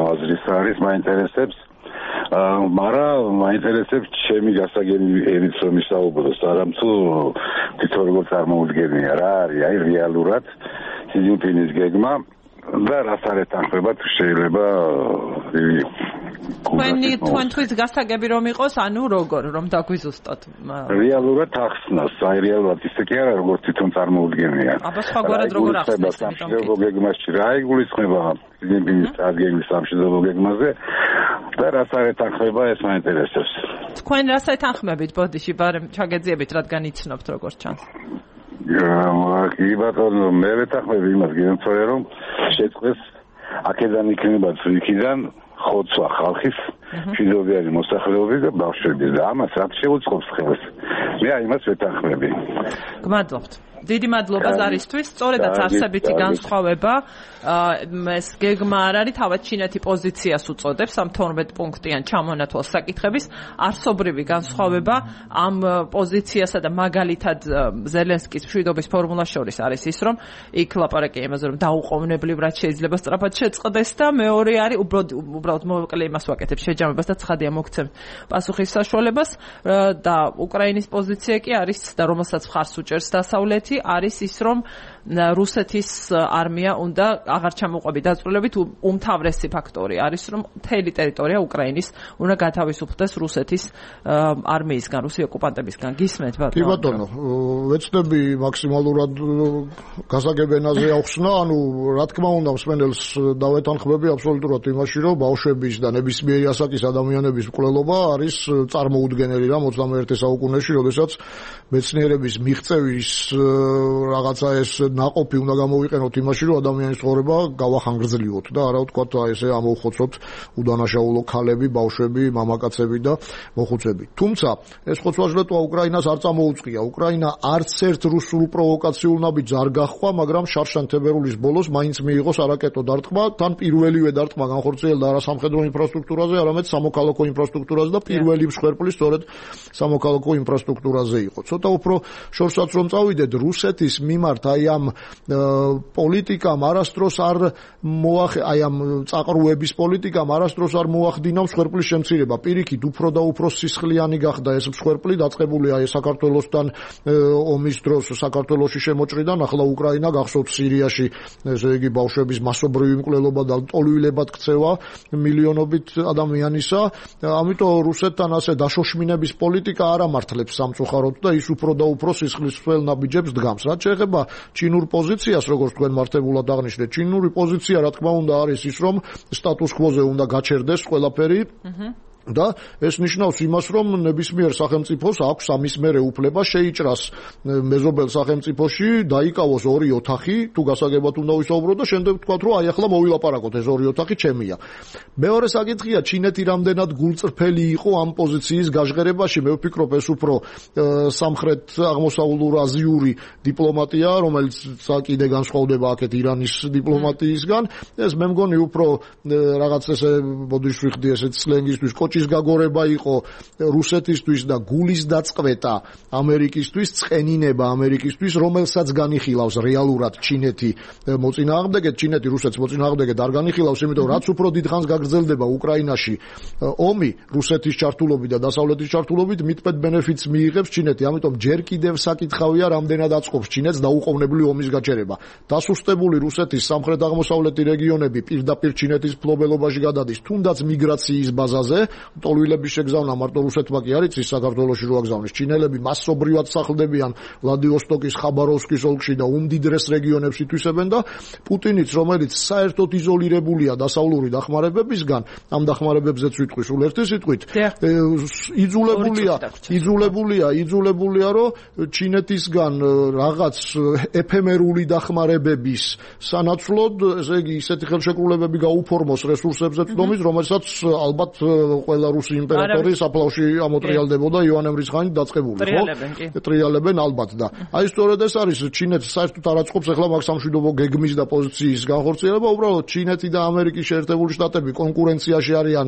აზრის არის მაინტერესებს. მაგრამ მაინტერესებს ჩემი გასაგებიერიც რომ ისაუბროს, არამთუ თვითონ როგორ წარმოუდგენია რა არის აი რეალურად სიძინპინის გეგმა და რას არ ეთანხმება თუ შეიძლება თქვენთვის გასაგები რომ იყოს, ანუ როგორ რომ დაგვიზუსტოთ. რეალურად ახსნას, აი რეალურად ისე კი არა, როგორც თვითონ წარმოუდგენია. აბა სხვაგვარად როგორ ახსნას? სამშვიდობო გეგმაში რა იგულისხმება სიდიდების წარგეგმის სამშვიდობო გეგმაზე და რაც არ ეთანხმება ეს მაინტერესებს. თქვენ რას ეთანხმებით ბოდიში, ბარემ ჩაგეძიებით, რადგან იცნობთ როგორც ჩანს. კი ბატონო, მე ვეთანხმები იმას გენცოე რომ შეწყდეს აქედან იქნება იქიდან ხოცვა ხალხის მშვიდობიანი მოსახლეობის და ბავშვების და ამას რაც შეუწყობს ხელს. მე იმას ვეთანხმები. გმადლობთ. დიდი მადლობა ზარისთვის. სწორედაც არსებითი განსხვავება ეს გეგმა არ არის, თავად ჩინეთი პოზიციას უწოდებს ამ 12 პუნქტიან ჩამონათვალ საკითხების არსობრივი განსხვავება ამ პოზიციასა და მაგალითად ზელენსკის მშვიდობის ფორმულას შორის არის ის, რომ იქ ლაპარაკია იმაზე, რომ დაუყოვნებლივ რაც შეიძლება სწრაფად შეწყდეს და მეორე არის უბრალოდ მოკლე იმას ვაკეთებ შეჯამებას და ცხადია მოგცემ პასუხის საშუალებას და უკრაინის პოზიცია კი არის და რომელსაც ხარს უჭერს დასავლეთი არის ის, რომ რუსეთის არმია უნდა აღარ ჩამოყვები დაწვრილებით უმთავრესი ფაქტორი არის, რომ მთელი ტერიტორია უკრაინის უნდა გათავისუფლდეს რუსეთის არმიისგან, რუსი ოკუპანტებისგან. გისმენთ ბატონო? კი ბატონო, ვეცდები მაქსიმალურად გასაგებენაზე ახსნა, ანუ რა თქმა უნდა მსმენელს დავეთანხმები აბსოლუტურად იმაში, რომ ბავშვების და ნებისმიერი ასაკის ადამიანების მკვლელობა არის წარმოუდგენელი რა 21 საუკუნეში, როდესაც მეცნიერების მიღწევის რაღაცა ეს ნაყოფი უნდა გამოვიყენოთ იმაში, რომ ადამიანის ცხოვრება გავახანგრძლივოთ და არა ვთქვათ ესე ამოვხოცოთ უდანაშაულო ქალები, ბავშვები, მამაკაცები და მოხუცები. თუმცა ეს ხოცვა-ჟლეტვა უკრაინას არ წამოუწყია. უკრაინა არც ერთ რუსულ პროვოკაციულ ნაბიჯს არ გაჰყვა, მაგრამ შარშან თებერვლის ბოლოს მაინც მიიღო არაკეტო დარტყმა, თან პირველივე დარტყმა განხორციელდა არა სამხედრო ინფრასტრუქტურაზე, არამედ სამოქალაქო ინფრასტრუქტურაზე და პირველი მსხვერპლი სწორედ სამოქალაქო ინფრასტრუქტურაზე იყო. ცოტა უფრო შორსაც რომ წავიდეთ, რუსეთის მიმართ აი ამ პოლიტიკამ არასდროს არ აი ამ წაყრუების პოლიტიკამ არასდროს არ მოახდინა მსხვერპლის შემცირება. პირიქით, უფრო და უფრო სისხლიანი გახდა ეს მსხვერპლი, დაწყებულია საქართველოსთან ომის დროს საქართველოში შემოჭრიდან, ახლა უკრაინა გახსოვთ სირიაში, ესე იგი ბავშვების მასობრივი მკვლელობა და ტოლვილებად ქცევა მილიონობით ადამიანისა. ამიტომ რუსეთთან ასე დაშოშმინების პოლიტიკა არ ამართლებს სამწუხაროდ და ის უფრო და უფრო სისხლისმცველ ნაბიჯებს დგამს. რაც შეეხება ჩინურ პოზიციას, როგორც თქვენ მართებულად აღნიშნეთ, ჩინური პოზიცია რა თქმა უნდა არის ის, რომ სტატუს კვოზე უნდა გაჩერდეს ყველაფერი. და ეს ნიშნავს იმას, რომ ნებისმიერ სახელმწიფოს აქვს ამის მერე უფლება შეიჭრას მეზობელ სახელმწიფოში, დაიკავოს ორი ოთახი, თუ გასაგებად უნდა ვისაუბროთ და შემდეგ ვთქვათ, რომ აი ახლა მოვილაპარაკოთ, ეს ორი ოთახი ჩემია. მეორე საკითხია, ჩინეთი რამდენად გულწრფელი იყო ამ პოზიციის გაჟღერებაში. მე ვფიქრობ, ეს უფრო სამხრეთ აღმოსავლურ-აზიური დიპლომატია, რომელიც კიდე განსხვავდება აქეთ ირანის დიპლომატიისგან. ეს მე მგონი უფრო რაღაც ესე ბოდიში ვიხდი ესეთ სლენგისთვის ჭის გაგორება იყო რუსეთისთვის და გულის დაწყვეტა ამერიკისთვის, წყენინება ამერიკისთვის, რომელსაც განიხილავს რეალურად ჩინეთი მოწინააღმდეგეთ, ჩინეთი რუსეთს მოწინააღმდეგეთ არ განიხილავს, იმიტომ რაც უფრო დიდ ხანს გაგრძელდება უკრაინაში ომი რუსეთის ჩართულობით და დასავლეთის ჩართულობით, მithpet benefits მიიღებს ჩინეთი, ამიტომ ჯერ კიდევ საკითხავია, რამდენად აწყობს ჩინეთს დაუყოვნებლივ ომის გაჩერება. დასუსტებული რუსეთის სამხრეთ-აღმოსავლეთი რეგიონები პირდაპირ ჩინეთის ფლობელობაში გადადის, თუნდაც მიგრაციის ბაზაზე. ტოლვილების შეგზავნა მარტო რუსეთმა კი არ იცის საქართველოში რო აგზავნეს. ჩინელები მასობრივად სახლდებიან ვლადივოსტოკის, ხაბაროვსკის ოლქში და უმდიდრეს რეგიონებს ითვისებენ და პუტინიც, რომელიც საერთოდ იზოლირებულია დასავლური დახმარებებისგან, ამ დახმარებებზეც ვიტყვი სულ ერთი სიტყვით, იძულებულია, რომ ჩინეთისგან რაღაც ეფემერული დახმარებების სანაცვლოდ, ესე იგი, ისეთი ხელშეკრულებები გაუფორმოს რესურსებზე წვდომის, რომელსაც ალბათ ყველა რუსი იმპერატორი საფლავში ამოტრიალდებოდა იოანე მრისხანით დაწყებული, ხო? ტრიალებენ ალბათ და აი სწორედ ეს არის ჩინეთს საერთოდ არ აწყობს ახლა მაგ სამშვიდობო გეგმის და პოზიციის განხორციელება, უბრალოდ ჩინეთი და ამერიკის შეერთებული შტატები კონკურენციაში არიან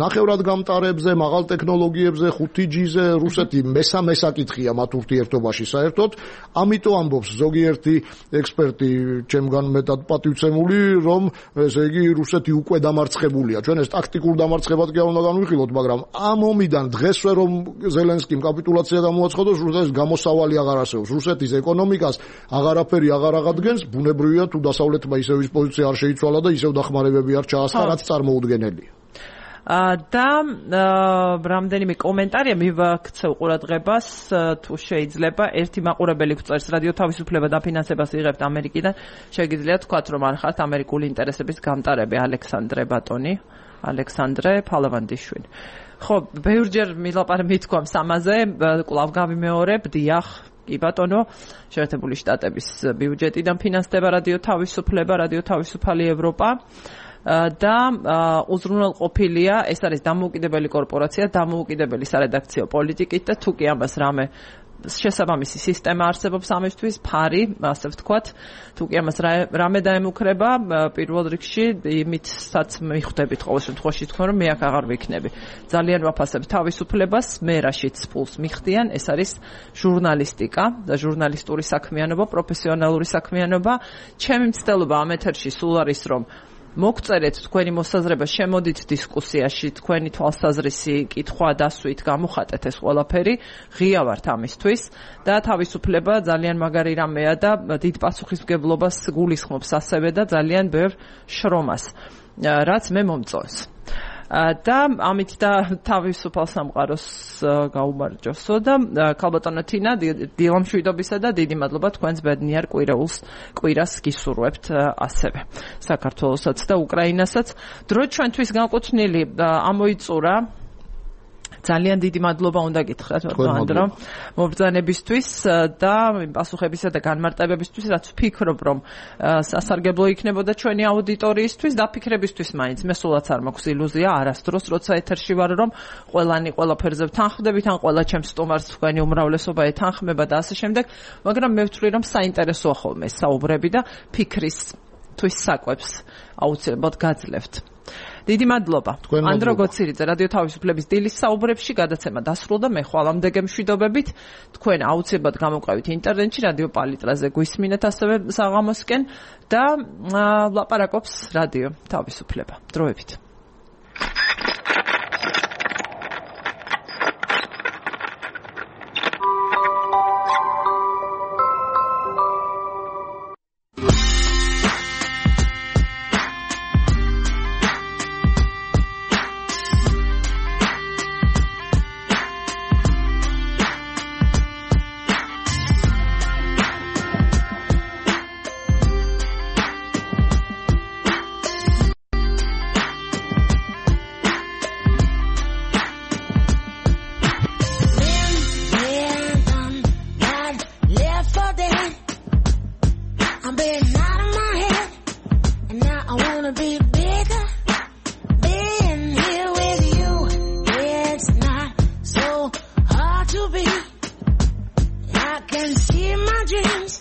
ნახევრად გამტარებზე, მაღალ ტექნოლოგიებზე, 5G-ზე, რუსეთი მესამე საკითხია მათ ურთიერთობაში საერთოდ. ამიტომ ამბობს ზოგიერთი ექსპერტი, ჩემგან მეტად პატივცემული, რომ ესე იგი რუსეთი უკვე დამარცხებულია. ჩვენ ეს ტაქტიკურ დამარცხებად კი არ უნდა განვიხილოთ, მაგრამ ამ ომიდან დღესვე რომ ზელენსკიმ კაპიტულაცია გამოაცხადოს, რუსეთის გამოსავალი აღარ არსებობს. რუსეთის ეკონომიკას აღარაფერი აღარ აღადგენს, ბუნებრივია თუ დასავლეთმა ისევ ის პოზიცია არ შეიცვალა და ისევ დახმარებები არ ჩაასხა, რაც წარმოუდგენელია. და რამდენიმე კომენტარია მივაქცევ ყურადღებას თუ შეიძლება ერთი მაყურებელი გვწერს რადიო თავისუფლება და ფინანსებას იღებთ ამერიკიდან შეგიძლიათ თქვათ რომ არ ხართ ამერიკული ინტერესების გამტარები ალექსანდრე ფალავანდიშვილი ხო ბევრჯერ მithქვამს ამაზე კვლავ გავიმეორებ დიახ კი ბატონო შეერთებული შტატების ბიუჯეტიდან ფინანსდება რადიო თავისუფალი ევროპა და უზრუნველყოფილია ეს არის დამოუკიდებელი კორპორაცია დამოუკიდებელი სარედაქციო პოლიტიკით და თუ კი ამას რამე შესაბამისი სისტემა არსებობს ამისთვის ფარი ასე ვთქვათ თუ კი ამას რამე დაემუქრება პირველ რიგში იმითაც მიხვდებით ყოველ შემთხვევაში თქვენ რომ მე აქ აღარ ვიქნები ძალიან ვაფასებ თავისუფლებას მე რაშიც ფულს მიხდიან ეს არის ჟურნალისტიკა და ჟურნალისტური საქმიანობა პროფესიონალური საქმიანობა ჩემი მცდელობა ამ ეთერში სულ არის რომ მოგწერეთ თქვენი მოსაზრება, შემოდით დისკუსიაში, თქვენი თვალსაზრისი, კითხვა, დასვით, გამოხატეთ ეს ყველაფერი, ღია ვართ ამისთვის და თავისუფლება ძალიან მაგარი რამეა და დიდ პასუხისმგებლობას გულისხმობს ასევე და ძალიან ბევრ შრომას, რაც მე მომწონს. და ამით და თავისუფალ სამყაროს გაუმარჯოსო და ქალბატონო თინა დილამშვიდობისა და დიდი მადლობა თქვენს ბედნიერ კვირას გისურვებთ ასევე საქართველოსაც და უკრაინასაც დრო ჩვენთვის განკუთვნილი ამოიწურა ძალიან დიდი მადლობა უნდა გითხრათ ანდრო მობრძანებისთვის და პასუხებისა და განმარტებებისთვის რაც ვფიქრობ რომ სასარგებლო იქნებოდა ჩვენი აუდიტორიისთვის და ფიქრებისთვის მაინც მე სულაც არ მაქვს ილუზია არასდროს როცა ეთერში ვარ რომ ყველანი ყველაფერზე ვთანხმდებით ან ყველა ჩემს სტუმარს თქვენი უმრავლესობა ეთანხმება და ასე შემდეგ მაგრამ მე ვთვლი რომ საინტერესოა ხოლმე საუბრები და ფიქრისთვის საკვებს აუცილებლად გაძლევთ დიდი მადლობა. ანდრო გოცირიძე, რადიო თავისუფლების დილის საუბრებში გადაცემა დასრულდა. მე ხვალამდე გემშვიდობებით. თქვენ აუცილებლად გამოვყავით ინტერნეტში, რადიო პალიტრაზე გვისმინეთ ასევე საღამოსკენ და ლაპარაკობს რადიო თავისუფლება. დროებით. I can see my dreams